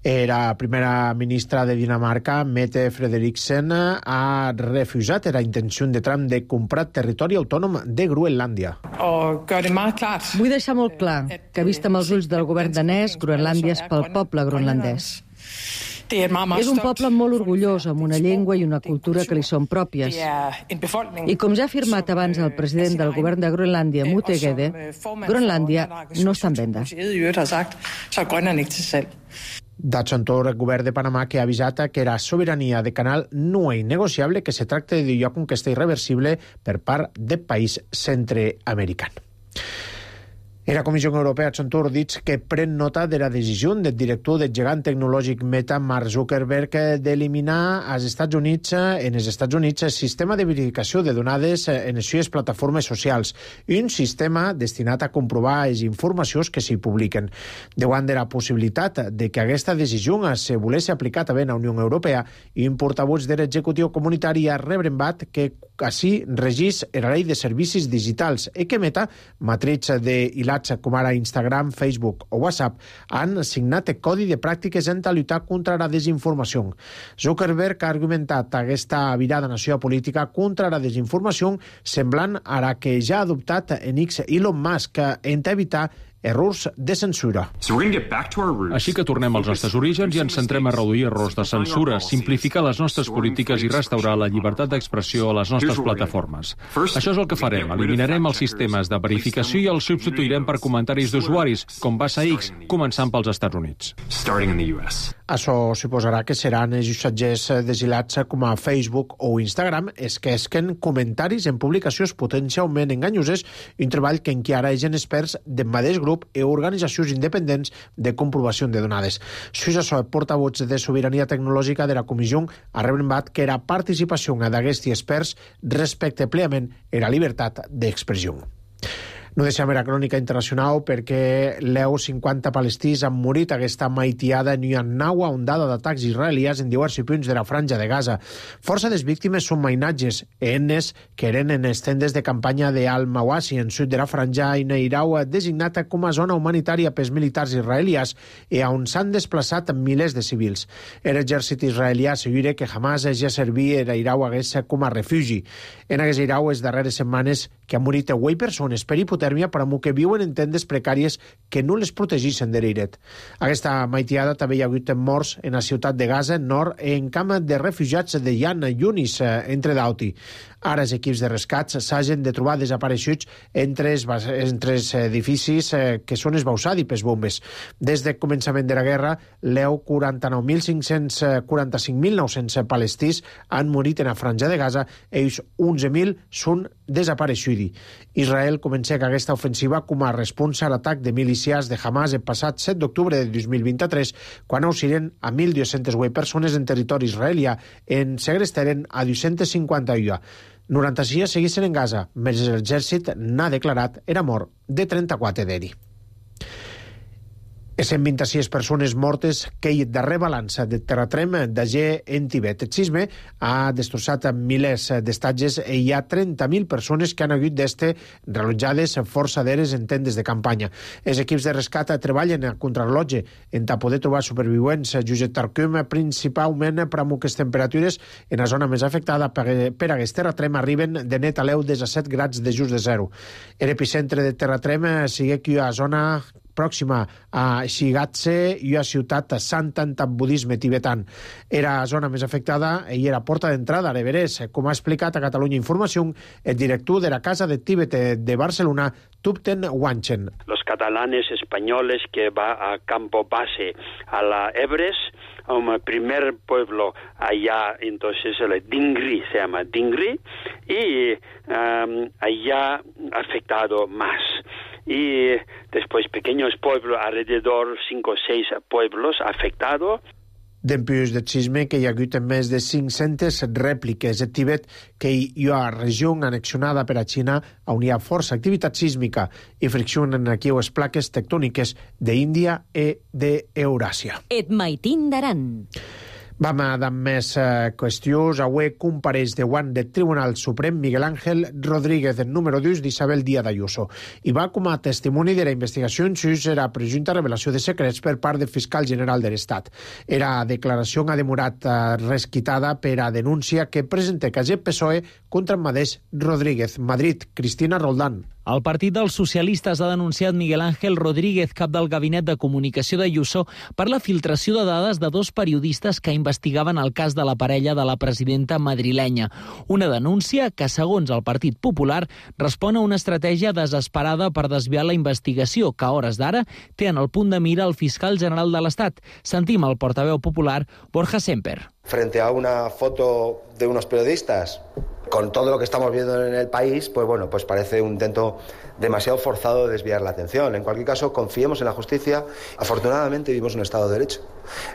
Speaker 1: La primera ministra de Dinamarca, Mette Frederiksen, ha refusat la intenció de Trump de comprar territori autònom de Groenlàndia.
Speaker 17: Vull deixar molt clar que, vist amb els ulls del govern danès, Groenlàndia és pel poble groenlandès. És un poble molt orgullós, amb una llengua i una cultura que li són pròpies. I com ja ha afirmat abans el president del govern de Groenlàndia, Mute Gede, Groenlàndia no està en venda.
Speaker 1: D'Hudson Tor, el govern de Panamà, que ha avisat que la sobirania de Canal no és innegociable, que se tracta de lloc on que està irreversible per part del país centreamericà. La Comissió Europea, Hudson Tor, dit que pren nota de la decisió del director del gegant tecnològic Meta, Mark Zuckerberg, d'eliminar als Estats Units, en els Estats Units el sistema de verificació de donades en les seves plataformes socials, un sistema destinat a comprovar les informacions que s'hi publiquen. Davant de la possibilitat de que aquesta decisió se volés aplicar també a la Unió Europea, un portavoz de l'executiu comunitari ha rebrebat que així regís la llei de servicis digitals i que Meta, matriz de hilats com ara Instagram, Facebook o WhatsApp, han signat el codi de pràctiques en lluitar contra la desinformació. Zuckerberg ha argumentat aquesta virada en la seva política contra la desinformació semblant a la que ja ha adoptat en X Elon Musk en evitar errors de censura.
Speaker 18: Així que tornem als nostres orígens i ens centrem a reduir errors de censura, simplificar les nostres polítiques i restaurar la llibertat d'expressió a les nostres plataformes. Això és el que farem. Eliminarem els sistemes de verificació i els substituirem per comentaris d'usuaris, com va ser X, començant pels Estats Units.
Speaker 1: Això suposarà que seran els usatgers desilats com a Facebook o Instagram els que esquen comentaris en publicacions potencialment enganyoses, un treball que encara és en experts del mateix grup i organitzacions independents de comprovació de donades. Suïssa Soe, portavoz de sobirania tecnològica de la Comissió, ha rebrebat que la participació d'aquests experts respecte plenament la llibertat d'expressió. No deixem la crònica internacional perquè l'E U cinquanta palestins han morit aquesta maitiada en una nova ondada d'atacs israelians en diversos punts de la franja de Gaza. Força des víctimes són mainatges, enes que eren en les tendes de campanya de Al-Mawasi, en sud de la franja, i Neirau, designada com a zona humanitària pels militars israelians i on s'han desplaçat milers de civils. L'exèrcit israelià assegura que Hamas ja servia Neirau com a refugi. En aquest Neirau, les darreres setmanes que han morit vuit persones per hipotèrmia per a que viuen en tendes precàries que no les protegeixen de l'airet. Aquesta maitiada també hi ha hagut morts en la ciutat de Gaza, nord, en camp de refugiats de Yan Yunis, entre d'Auti. Ara els equips de rescats s'hagin de trobar desapareixuts entre els, entre els edificis que són esbausats pels bombes. Des del començament de la guerra, l'E U quaranta-nou mil cinc-cents quaranta-cinc mil nou-cents palestins han morit en la franja de Gaza, ells onze mil són desapareixuts. Israel comença aquesta ofensiva com a resposta a l'atac de milícies de Hamas el passat set d'octubre de dos mil vint-i-tres, quan auxilien a mil dues-centes vuit persones en territori israelià, en segrestaren a dos-cents cinquanta-u. noranta-sis seguissin en Gaza, mentre l'exèrcit n'ha declarat era mort de trenta-quatre d'eri. cent vint-i-sis persones mortes que hi darrer balança de terratrem d'Agé en Tibet. El sisme ha destrossat milers d'estatges i hi ha trenta mil persones que han hagut d'este relotjades força d'eres en tendes de campanya. Els equips de rescat treballen a contrarrellotge en ta poder trobar supervivents. Josep Tarcum, principalment per amb aquestes temperatures en la zona més afectada per, per aquest terratrem arriben de net a l'eu des a set grads de just de zero. L'epicentre de terratrem sigue aquí a zona pròxima a Shigatse i a ciutat Santan, amb budisme tibetan. Era la zona més afectada i era porta d'entrada a l'Everest, com ha explicat a Catalunya Informació el director de la Casa de Tíbet de Barcelona, Tupten Wanchen.
Speaker 19: Los catalanes españoles que va a campo base a la Everest, un primer pueblo allá, entonces el Dingri, se llama Dingri, y um, allá afectado más. Y después pequeños pueblos, alrededor cinco o seis pueblos afectados.
Speaker 1: Dempués del sisme que hi ha hagut més de cinc-centes rèpliques. El Tibet, que hi ha regió annexionada per a Xina, on hi ha força activitat sísmica i friccionen aquí les plaques tectòniques d'Índia i d'Euràsia.
Speaker 2: Et maitin d'aran.
Speaker 1: Vam a dar més eh, qüestions. Avui compareix davant del Tribunal Suprem Miguel Ángel Rodríguez, el número dos d'Isabel Díaz Ayuso, i va com a testimoni de la investigació en sus era presumpta revelació de secrets per part del fiscal general de l'Estat. Era declaració ha demorat eh, resquitada per a denúncia que presenta el P S O E contra el mateix Rodríguez. Madrid, Cristina Roldán.
Speaker 20: El Partit dels Socialistes ha denunciat Miguel Ángel Rodríguez, cap del Gabinet de Comunicació d'Ayuso, per la filtració de dades de dos periodistes que investigaven el cas de la parella de la presidenta madrilenya. Una denúncia que, segons el Partit Popular, respon a una estratègia desesperada per desviar la investigació, que a hores d'ara té en el punt de mira el fiscal general de l'Estat. Sentim el portaveu popular, Borja Semper.
Speaker 21: Frente a una foto de unos periodistas, con todo lo que estamos viendo en el país, pues bueno, pues parece un intento demasiado forzado de desviar la atención. En cualquier caso, confiemos en la justicia. Afortunadamente vivimos en un Estado de Derecho,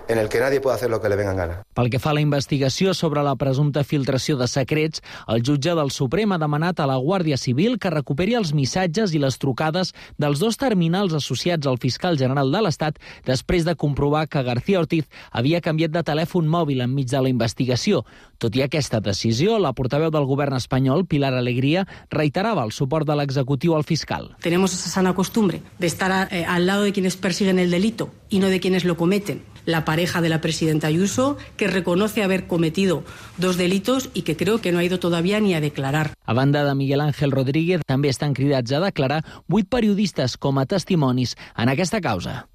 Speaker 21: en el que nadie puede hacer lo que le venga en gana.
Speaker 20: Pel que fa a la investigació sobre la presumpta filtració de secrets, el jutge del Suprem ha demanat a la Guàrdia Civil que recuperi els missatges i les trucades dels dos terminals associats al fiscal general de l'Estat després de comprovar que García Ortiz havia canviat de telèfon mòbil enmig de la investigació. Tot i aquesta decisió, la portaveu del govern espanyol, Pilar Alegría, reiterava el suport de l'executiu al fiscal.
Speaker 22: Tenemos esa sana costumbre de estar eh, al lado de quienes persiguen el delito y no de quienes lo cometen. La pareja de la presidenta Ayuso, que reconoce haber cometido dos delitos y que creo que no ha ido todavía ni a declarar.
Speaker 20: A banda de Miguel Ángel Rodríguez, també estan cridats a declarar vuit periodistes com a testimonis en aquesta causa.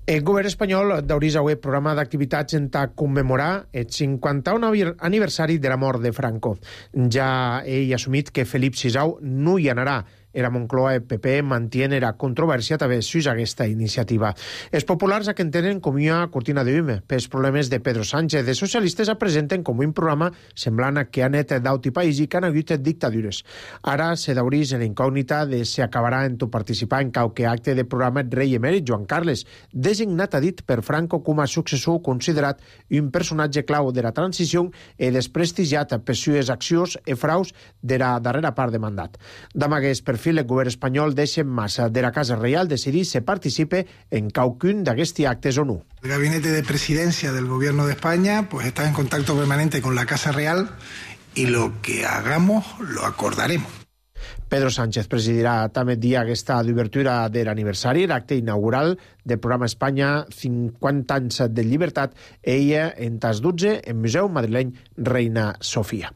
Speaker 1: El govern espanyol d'Auris avui programa d'activitats en ta commemorar el cinquanta-un aniversari de la mort de Franco. Ja ell ha assumit que Felip sisau no hi anarà. Era Moncloa i P P mantiene la controvèrsia també sus aquesta iniciativa. Els populars que entenen com una cortina de hume pels problemes de Pedro Sánchez. Els socialistes el presenten com un programa semblant a que ha net d'auti país i que han hagut dictadures. Ara se d'aurís en incògnita de si acabarà en tu participar en qualque acte de programa el rei emèrit Joan Carles, designat a dit per Franco com a successor considerat un personatge clau de la transició i desprestigiat per sues accions i fraus de la darrera part de mandat. D'amagués perfil el govern espanyol deixa en massa de la Casa Reial decidir si participe en qualcun d'aquests actes o no.
Speaker 23: El gabinete de presidencia del gobierno de España pues está en contacto permanente con la Casa Real y lo que hagamos lo acordaremos.
Speaker 1: Pedro Sánchez presidirà també dia aquesta d'obertura de l'aniversari, l'acte inaugural del programa Espanya cinquanta anys de llibertat, ella en tas dotze en Museu Madrileny Reina Sofia.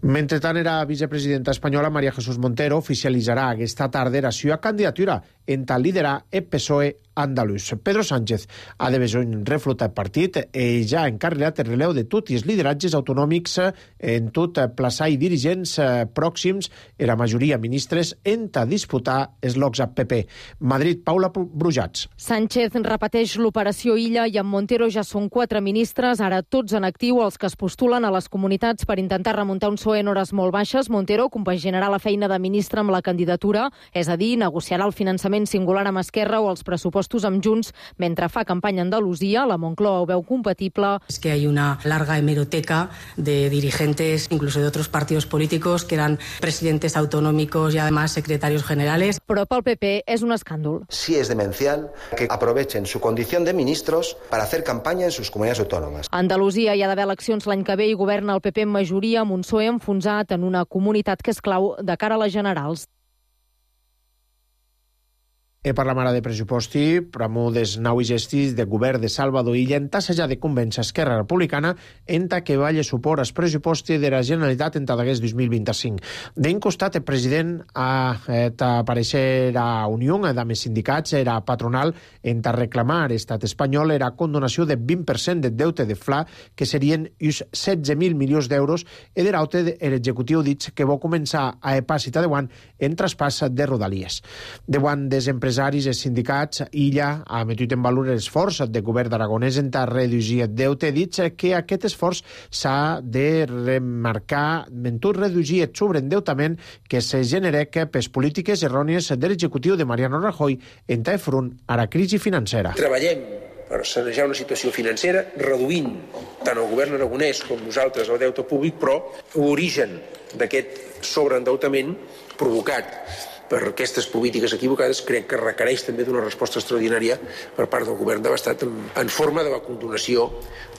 Speaker 1: Mentrestant, era vicepresidenta espanyola María Jesús Montero oficialitzarà aquesta tarda la seva candidatura en tal liderar el P S O E andalús. Pedro Sánchez ha de besony reflotar el partit i ja ha encarregat el releu de tots els lideratges autonòmics en tot plaçar i dirigents pròxims i la majoria ministres en ta disputar els locs a P P. Madrid, Paula Brujats.
Speaker 24: Sánchez repeteix l'operació Illa i amb Montero ja són quatre ministres, ara tots en actiu, els que es postulen a les comunitats per intentar remuntar un P S O E en hores molt baixes. Montero compaginarà la feina de ministre amb la candidatura, és a dir, negociarà el finançament singular amb Esquerra o els pressupostos amb Junts mentre fa campanya a Andalusia. La Moncloa ho veu compatible.
Speaker 22: Es que hay una larga hemeroteca de dirigentes, incluso de otros partidos políticos, que eran presidentes autonómicos y además secretarios generales.
Speaker 24: Però pel P P és un escàndol.
Speaker 21: Sí es demencial que aprovechen su condición de ministros para hacer campaña en sus comunidades autónomas.
Speaker 24: A Andalusia hi ha d'haver eleccions l'any que ve i governa el P P en majoria amb un P S O E enfonsat en una comunitat que és clau de cara a les generals.
Speaker 1: E parlam ara de pressuposti, pramo des nau i gestis de govern de Salvador Illa en tassejar de convèncer Esquerra Republicana en ta que valle suport als pressuposti de la Generalitat en ta d'aguest dos mil vint-i-cinc. D'un costat, el president ha aparèixer a Unió amb els sindicats, era patronal, en ta reclamar l'estat espanyol era condonació de vint per cent de deute de Fla, que serien uns setze mil milions d'euros, i de l'aute l'executiu dit que va començar a epàcita de guant en traspàs de Rodalies. De guant des empresaris empresaris i sindicats, Illa ha metut en valor l'esforç del govern d'Aragonès en ta reduir el deute, dit que aquest esforç s'ha de remarcar en tot reduir el sobreendeutament que se genera per polítiques errònies de l'executiu de Mariano Rajoy en ta front a la crisi financera.
Speaker 25: Treballem
Speaker 3: per sanejar una situació financera, reduint tant el govern aragonès com nosaltres el deute públic, però l'origen d'aquest sobreendeutament provocat per aquestes polítiques equivocades crec que requereix també d'una resposta extraordinària per part del govern de l'Estat en forma de la condonació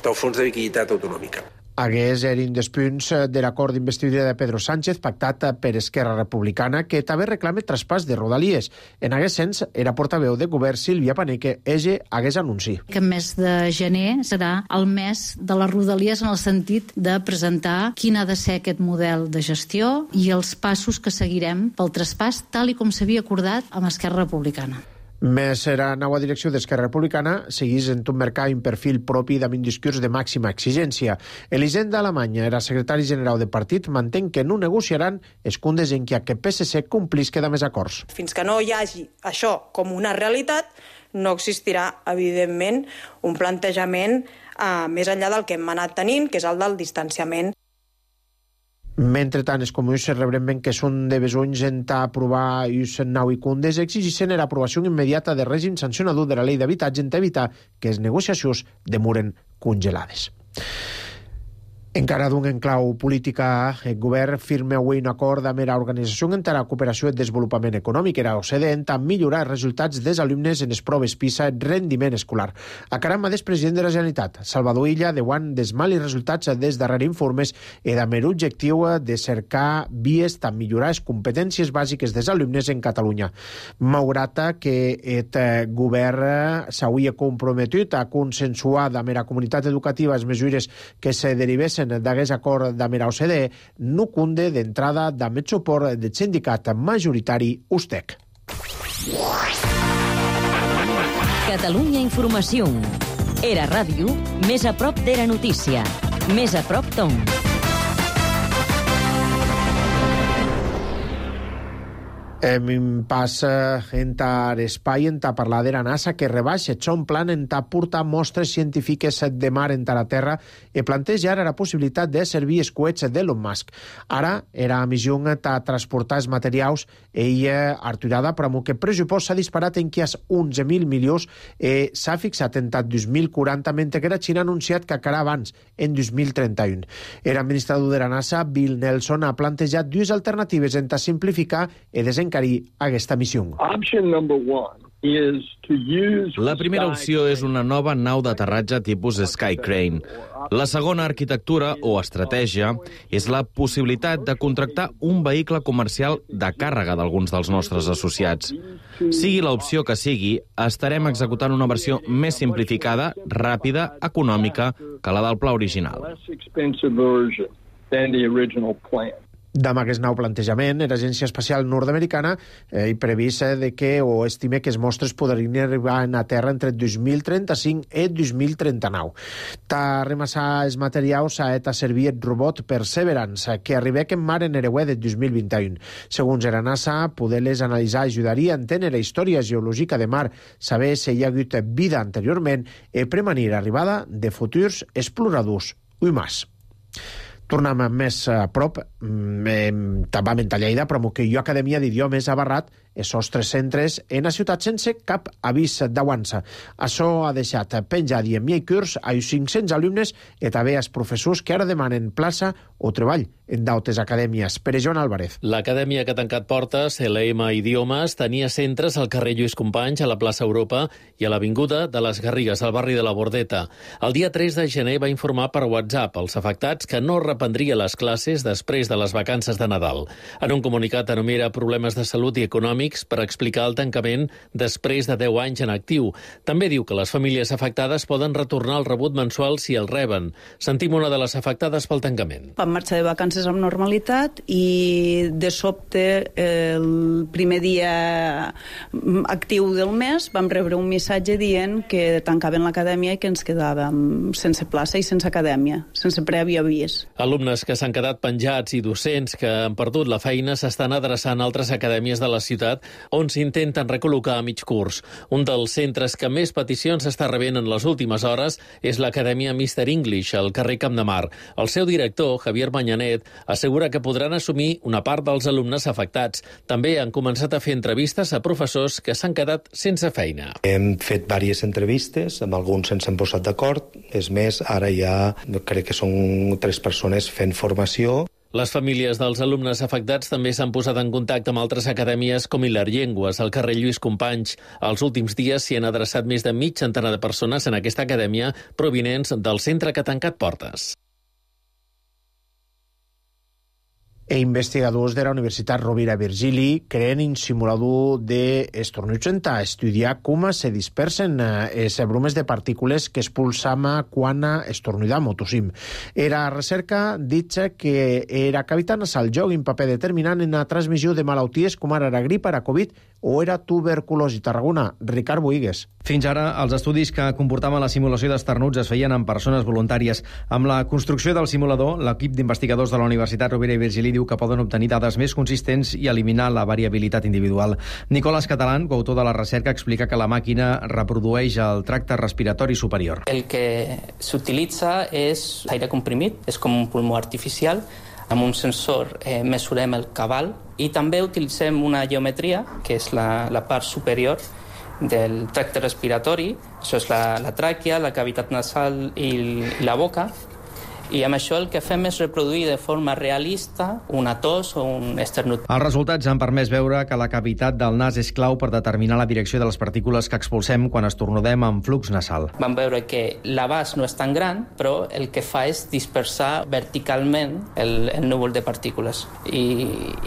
Speaker 3: del Fons de Liquiditat Autonòmica.
Speaker 1: Hagués eren dels punts de l'acord d'investidura de Pedro Sánchez pactat per Esquerra Republicana, que també reclama traspàs de Rodalies. En aquest sens, era portaveu de govern Sílvia Paneque, ella hagués anunci.
Speaker 4: Que el mes de gener serà el mes de les Rodalies en el sentit de presentar quin ha de ser aquest model de gestió i els passos que seguirem pel traspàs, tal i com s'havia acordat amb Esquerra Republicana.
Speaker 1: Més la nova direcció d'Esquerra Republicana seguís en tot mercat un perfil propi amb un discurs de màxima exigència. Elisenda Alemanya, era secretari general del partit, mantén que no negociaran escundes en què aquest P S C complisca de més acords.
Speaker 5: Fins que no hi hagi això com una realitat, no existirà, evidentment, un plantejament eh, més enllà del que hem anat tenint, que és el del distanciament.
Speaker 1: Mentrestant, els comuns rebren que són de besonys en aprovar us nou i cundes exigeixen l'aprovació immediata de règim sancionador de la llei d'habitatge en evitar que les negociacions demoren congelades. Encara d'un enclau política, el govern firma avui un acord amb l'Organització per la Cooperació i Desenvolupament Econòmic, la O C D E, a millorar els resultats dels alumnes en les proves PISA en rendiment escolar. A caramba del president de la Generalitat, Salvador Illa, diuen dels mals resultats dels darrers informes i amb l'objectiu de cercar vies per millorar les competències bàsiques dels alumnes en Catalunya. Malgrat que el govern s'hauria comprometut a consensuar amb la comunitat educativa les mesures que se derivessin d'aquest acord amb la O C D E, no cunde d'entrada amb el suport del sindicat majoritari U S T E C.
Speaker 2: Catalunya Informació. Era ràdio, més a prop de la notícia. Més a prop Tom.
Speaker 1: Em passa en tar espai en ta parlar de la NASA que rebaixa son plan en ta portar mostres científiques de mar en ta la Terra i planteja ara la possibilitat de servir els coets d'Elon Musk. Ara era a missió ta transportar els materials i arturada però que el pressupost s'ha disparat en quias onze mil milions i s'ha fixat en ta dos mil quaranta mentre que la Xina ha anunciat que acabarà abans, en dos mil trenta-u. L'administrador de la NASA, Bill Nelson, ha plantejat dues alternatives en ta simplificar i desencarir aquesta missió.
Speaker 7: La primera opció és una nova nau d'aterratge tipus Sky Crane. La segona arquitectura o estratègia és la possibilitat de contractar un vehicle comercial de càrrega d'alguns dels nostres associats. Sigui l'opció que sigui, estarem executant una versió més simplificada, ràpida, econòmica que la del pla original.
Speaker 1: Amb aquest nou plantejament, l'Agència Espacial Nord-Americana eh, hi previst de que o estime que els mostres podrien arribar a terra entre dos mil trenta-cinc i dos mil trenta-nou. Ta remassar els materials ha et a servir el robot Perseverance, que arriba en mar en Ereuer de dos mil vint-i-u. Segons la NASA, poder-les analitzar ajudaria a entendre la història geològica de mar, saber si hi ha hagut vida anteriorment i prevenir l'arribada de futurs exploradors humans. Tornem més a prop, també a Lleida, però que jo Acadèmia d'Idiomes ha barrat els nostres centres en la ciutat sense cap avís d'avança. Això ha deixat penjat i en mi curs a cinc-cents alumnes i també als professors que ara demanen plaça o treball en d'altres acadèmies. Pere Joan Álvarez.
Speaker 25: L'acadèmia que ha tancat portes, L M Idiomes, tenia centres al carrer Lluís Companys, a la plaça Europa i a l'avinguda de les Garrigues, al barri de la Bordeta. El dia tres de gener va informar per WhatsApp als afectats que no reprendria les classes després de les vacances de Nadal. En un comunicat enumera problemes de salut i econòmics per explicar el tancament després de deu anys en actiu. També diu que les famílies afectades poden retornar el rebut mensual si el reben. Sentim una de les afectades pel tancament.
Speaker 26: Vam marxar de vacances amb normalitat i de sobte el primer dia actiu del mes vam rebre un missatge dient que tancaven l'acadèmia i que ens quedàvem sense plaça i sense acadèmia, sense previ avís.
Speaker 25: Alumnes que s'han quedat penjats i docents que han perdut la feina s'estan adreçant a altres acadèmies de la ciutat universitat, on s'intenten recol·locar a mig curs. Un dels centres que més peticions està rebent en les últimes hores és l'Acadèmia mister English, al carrer Camp de Mar. El seu director, Javier Manyanet, assegura que podran assumir una part dels alumnes afectats. També han començat a fer entrevistes a professors que s'han quedat sense feina.
Speaker 21: Hem fet diverses entrevistes, amb alguns ens hem posat d'acord. És més, ara ja crec que són tres persones fent formació.
Speaker 25: Les famílies dels alumnes afectats també s'han posat en contacte amb altres acadèmies com Hilar Llengües, al carrer Lluís Companys. Els últims dies s'hi han adreçat més de mig centenar de persones en aquesta acadèmia provinents del centre que ha tancat portes.
Speaker 1: E investigadors de la Universitat Rovira Virgili creen un simulador d'estornuts per estudiar com se dispersen les brumes de partícules que expulsam quan estornudam o tossim. Era recerca dit que era cavitat nasal joga un paper determinant en la transmissió de malalties com ara la grip, la Covid o era tuberculosi. Tarragona, Ricard Boigues.
Speaker 6: Fins ara, els estudis que comportaven la simulació d'esternuts es feien en persones voluntàries. Amb la construcció del simulador, l'equip d'investigadors de la Universitat Rovira i Virgili diu que poden obtenir dades més consistents i eliminar la variabilitat individual. Nicolás Catalán, coautor de la recerca, explica que la màquina reprodueix el tracte respiratori superior.
Speaker 8: El que s'utilitza és aire comprimit, és com un pulmó artificial. Amb un sensor eh, mesurem el cabal i també utilitzem una geometria, que és la, la part superior del tracte respiratori. Això és la, la tràquea, la cavitat nasal i, i la boca. I amb això el que fem és reproduir de forma realista una tos o un esternut.
Speaker 6: Els resultats han permès veure que la cavitat del nas és clau per determinar la direcció de les partícules que expulsem quan estornudem amb flux nasal.
Speaker 8: Vam veure que l'abast no és tan gran, però el que fa és dispersar verticalment el, el núvol de partícules. I,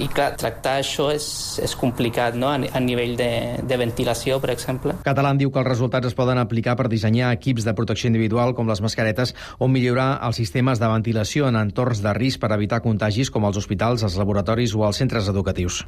Speaker 8: i clar, tractar això és, és complicat, no? a, a nivell de, de ventilació, per exemple.
Speaker 6: Catalán diu que els resultats es poden aplicar per dissenyar equips de protecció individual com les mascaretes o millorar els sistemes de ventilació en entorns de risc per evitar contagis com els hospitals, els laboratoris o els centres educatius.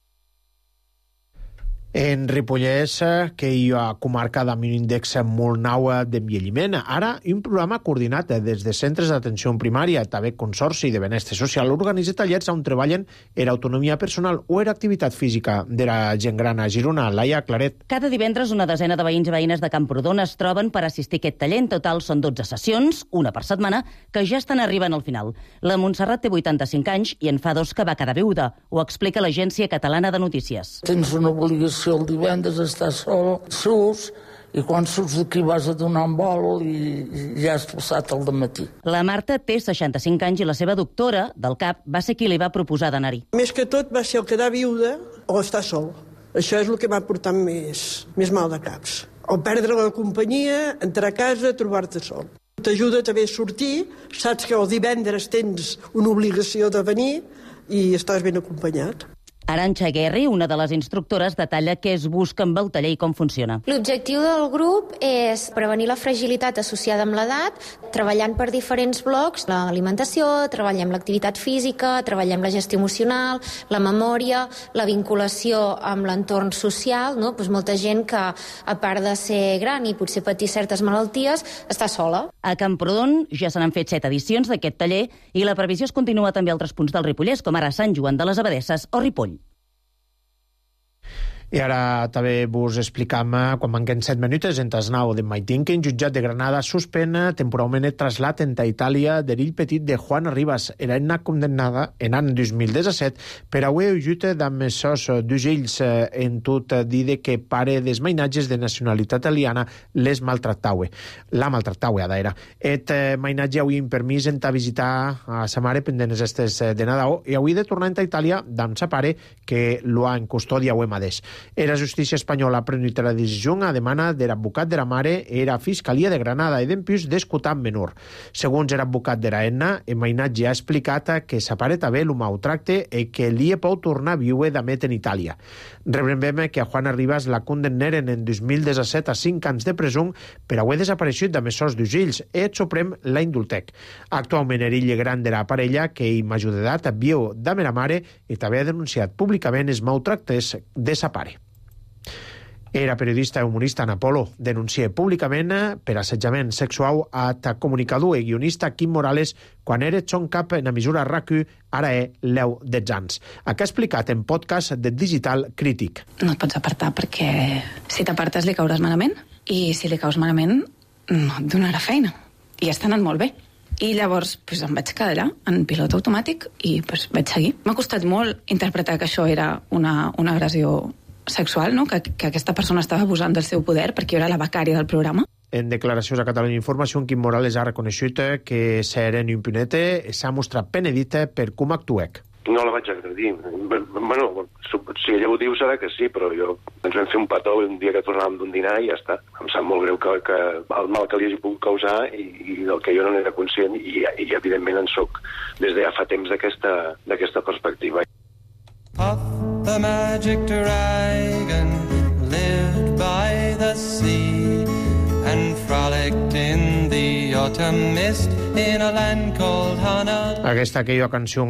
Speaker 1: En Ripollès, que hi ha comarca amb un índex molt nou d'envelliment. Ara, un programa coordinat des de centres d'atenció primària, també Consorci de Benestar Social, organitza tallers on treballen en autonomia personal o en activitat física de la gent gran a Girona. Laia Claret.
Speaker 9: Cada divendres una desena de veïns i veïnes de Camprodon es troben per assistir a aquest taller. En total són dotze sessions, una per setmana, que ja estan arribant al final. La Montserrat té vuitanta-cinc anys i en fa dos que va quedar viuda. Ho explica l'Agència Catalana de Notícies.
Speaker 10: Tens una obligació el divendres estar sol, surts, i quan surts d'aquí vas a donar un vol i ja has passat el dematí.
Speaker 9: La Marta té seixanta-cinc anys i la seva doctora del cap va ser qui li va proposar d'anar-hi.
Speaker 11: Més que tot va ser el quedar viuda o estar sol. Això és el que m'ha portat més, més mal de caps. O perdre la companyia, entrar a casa, trobar-te sol. T'ajuda també a sortir, saps que el divendres tens una obligació de venir i estàs ben acompanyat.
Speaker 9: Arantxa Guerri, una de les instructores, detalla què es busca amb el taller i com funciona.
Speaker 12: L'objectiu del grup és prevenir la fragilitat associada amb l'edat, treballant per diferents blocs, l'alimentació, treballem l'activitat física, treballem la gestió emocional, la memòria, la vinculació amb l'entorn social, no? Pues molta gent que, a part de ser gran i potser patir certes malalties, està sola.
Speaker 9: A Camprodon ja se n'han fet set edicions d'aquest taller i la previsió es continua també a altres punts del Ripollès, com ara Sant Joan de les Abadesses o Ripoll.
Speaker 1: I ara també vos explicam, quan manquen set minuts, en Tasnau de Maitín, que un jutjat de Granada suspèn temporalment el trasllat a Itàlia d'erill petit de Juana Rivas. Era una condemnada en l'any dos mil disset per haver ujut amb sos d'ugells en tot dir que pare dels mainatges de nacionalitat italiana les maltractaue. La maltractaue, ara era. Et mainatge avui en permís en visitar a sa mare pendent les estes de Nadal i avui de tornar a Itàlia amb sa pare que lo ha en custòdia avui mateix. Era justícia espanyola prenut la decisió a demana de l'advocat de la mare era Fiscalia de Granada i d'empús d'escutar menor. Segons l'advocat de la Enna, el mainatge ha explicat que sa pare també lo maltracte i que li pot tornar a viure d'amet en Itàlia. Rebrem que a Juana Rivas la condemnaren en dos mil disset a cinc anys de presó per haver desapareixut de mesors d'ugells i el Suprem la indultec. Actualment era illa gran de la parella que hi m'ajudat viu de la mare i també ha denunciat públicament els maltractes de sa pare. Era periodista i humorista en Apolo. Denuncia públicament per assetjament sexual a comunicador i guionista Quim Morales quan era Chon Cap en emissora R A C U, ara és l'eu dels anys. Aquí ha explicat en podcast de Digital Crític.
Speaker 13: No et pots apartar perquè si t'apartes li cauràs malament i si li caus malament no et donarà feina. I està anant molt bé. I llavors pues, em vaig quedar allà, en pilot automàtic, i pues, vaig seguir. M'ha costat molt interpretar que això era una, una agressió sexual, no? que, que aquesta persona estava abusant del seu poder perquè jo era la becària del programa.
Speaker 1: En declaracions a Catalunya Informació, Quim Morales ha reconegut que Seren Impunete s'ha mostrat penedita per com actuec.
Speaker 14: No la vaig agredir. Bueno, si ella ho diu serà que sí, però jo ens vam fer un petó un dia que tornàvem d'un dinar i ja està. Em sap molt greu que, que el mal que li hagi pogut causar i, i del que jo no n'era conscient i, i evidentment en soc des de ja fa temps d'aquesta perspectiva.
Speaker 15: Puff the magic dragon lived by the sea and frolicked in the autumn mist in a land called Hana.
Speaker 1: Aquesta que jo cançó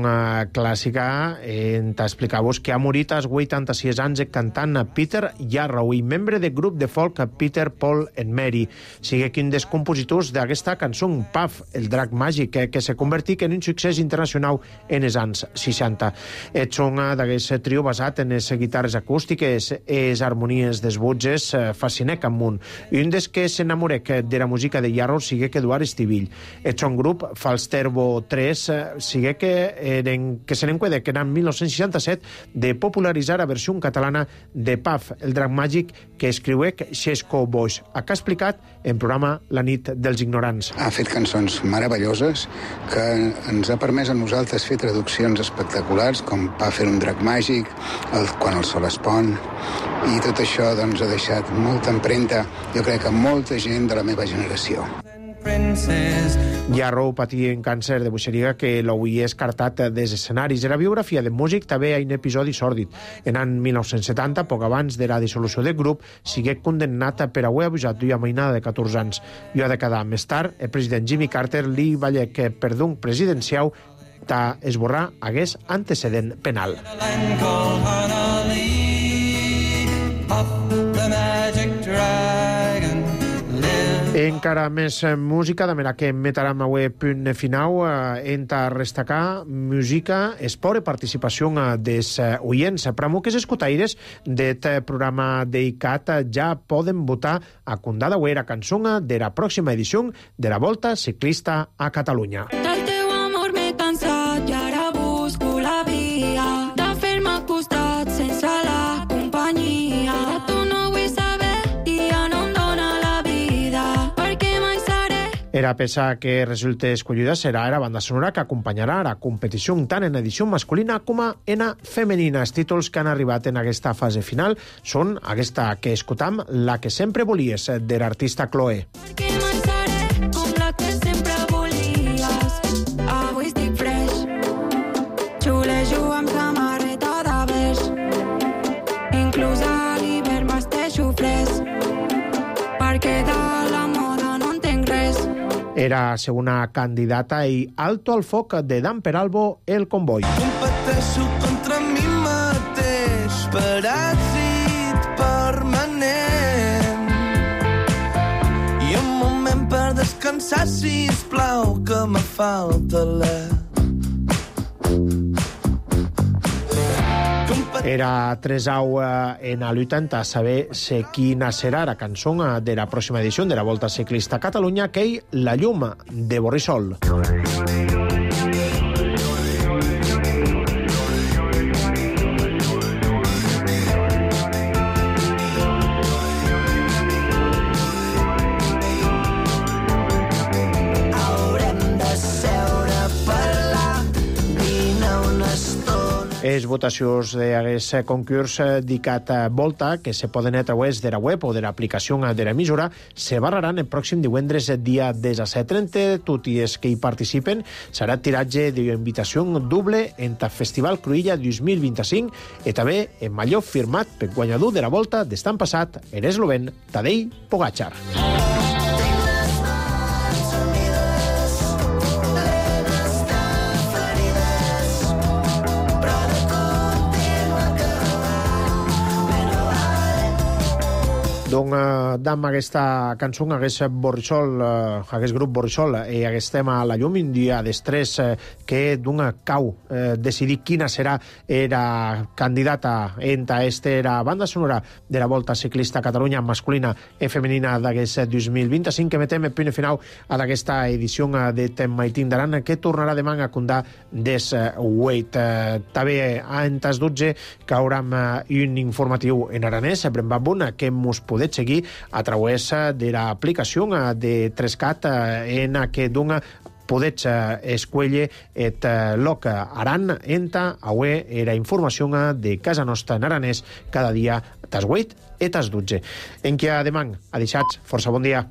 Speaker 1: clàssica en t'explicar-vos que ha morit als vuitanta-sis anys cantant Peter Yarrow i membre del grup de folk Peter, Paul and Mary. Sigue quin dels compositors d'aquesta cançó, Puff, el drac màgic, que, que se convertit en un succés internacional en els anys seixanta. És un d'aquest trio basat en les guitarres acústiques i les harmonies dels butges fascinec amunt. Un dels que s'enamorec de la música de Yarrow sigue que Eduard Estivill. És un grup Falsterbo tres, sigue que, eren, que se n'encueda que en dinou seixanta-set de popularitzar la versió catalana de Puff, el drac màgic que escriuec Xesco Boix. Acá ha explicat en programa La nit dels ignorants.
Speaker 16: Ha fet cançons meravelloses que ens ha permès a nosaltres fer traduccions espectaculars com Puff era un drac màgic, el, Quan el sol es pon, i tot això doncs, ha deixat molta empremta, jo crec que molta gent de la meva generació.
Speaker 1: Yarrow patia un càncer de buixeria que l'havia escartat dels escenaris. Era biografia de músic també hi ha un episodi sòrdid. En l'any dinou setanta, poc abans de la dissolució del grup, sigué condemnat per haver abusat d'una mainada de catorze anys. I ha de quedar més tard, el president Jimmy Carter li va dir que per d'un presidencial esborrar hagués antecedent penal. Encara més música, de manera que metarem avui punt final. Enta restacar música, esport i participació dels oients. Pramo que els escutaires d'aquest programa d'ICAT ja poden votar a condada o era cançó de la pròxima edició de la Volta Ciclista a Catalunya.
Speaker 17: Del teu amor m'he cansat i ara busco la via de fer-me al costat sense la companyia. De tu no vull saber i ja no em dóna la vida perquè mai seré.
Speaker 1: Era peça que resulta escollida serà la banda sonora que acompanyarà la competició tant en edició masculina com en femenina. Els títols que han arribat en aquesta fase final són aquesta que escoltam, La que sempre volies, de l'artista Chloe.
Speaker 17: Perquè mai seré com la que sempre volies. Avui estic fresh, xulejo amb samarreta de beix, inclús a l'hivern vesteixo fresc, perquè de la moda no entenc res.
Speaker 1: Era segona candidata i Alto al foc de Dan Peralbo, El Comboi.
Speaker 15: Competeixo contra mi mateix, paràsit permanent. I un moment per descansar, sisplau, que me falta l'e.
Speaker 1: Era tres au en la lluita a saber si quina serà la cançó de la pròxima edició de la Volta Ciclista a Catalunya, que és La llum, de Borrissol. Les votacions d'aquest concurs dedicat a Volta, que se poden a través de la web o de l'aplicació de l'emissora, se barraran el pròxim divendres, dia disset. Entre tots els que hi participen serà tiratge d'invitació doble en el Festival Cruïlla dos mil vint-i-cinc i també en mallot firmat per guanyador de la Volta d'estan passat, l'eslovèn Tadej Pogačar. Doncs eh, dam aquesta cançó, hagués Borrissol, eh, hagués grup Borrissol, i hagués tema a la llum un dia d'estrès eh, que d'una cau eh, decidir quina serà era candidata enta esta era banda sonora de la Volta Ciclista a Catalunya masculina i femenina d'aquest dos mil vint-i-cinc, que metem el punt final a d'aquesta edició de Tem Maitín d'Aran, que tornarà demà a condar des huit. Eh, també a entes dotze que haurem eh, un informatiu en aranès, Brem Babun, que mos podeu seguir a través de l'aplicació de Trescat en què dona podets escuelle et loc aran enta aue era informació de casa nostra en aranès cada dia tas huit e tas dotze. En què demà, a deixats, força bon dia.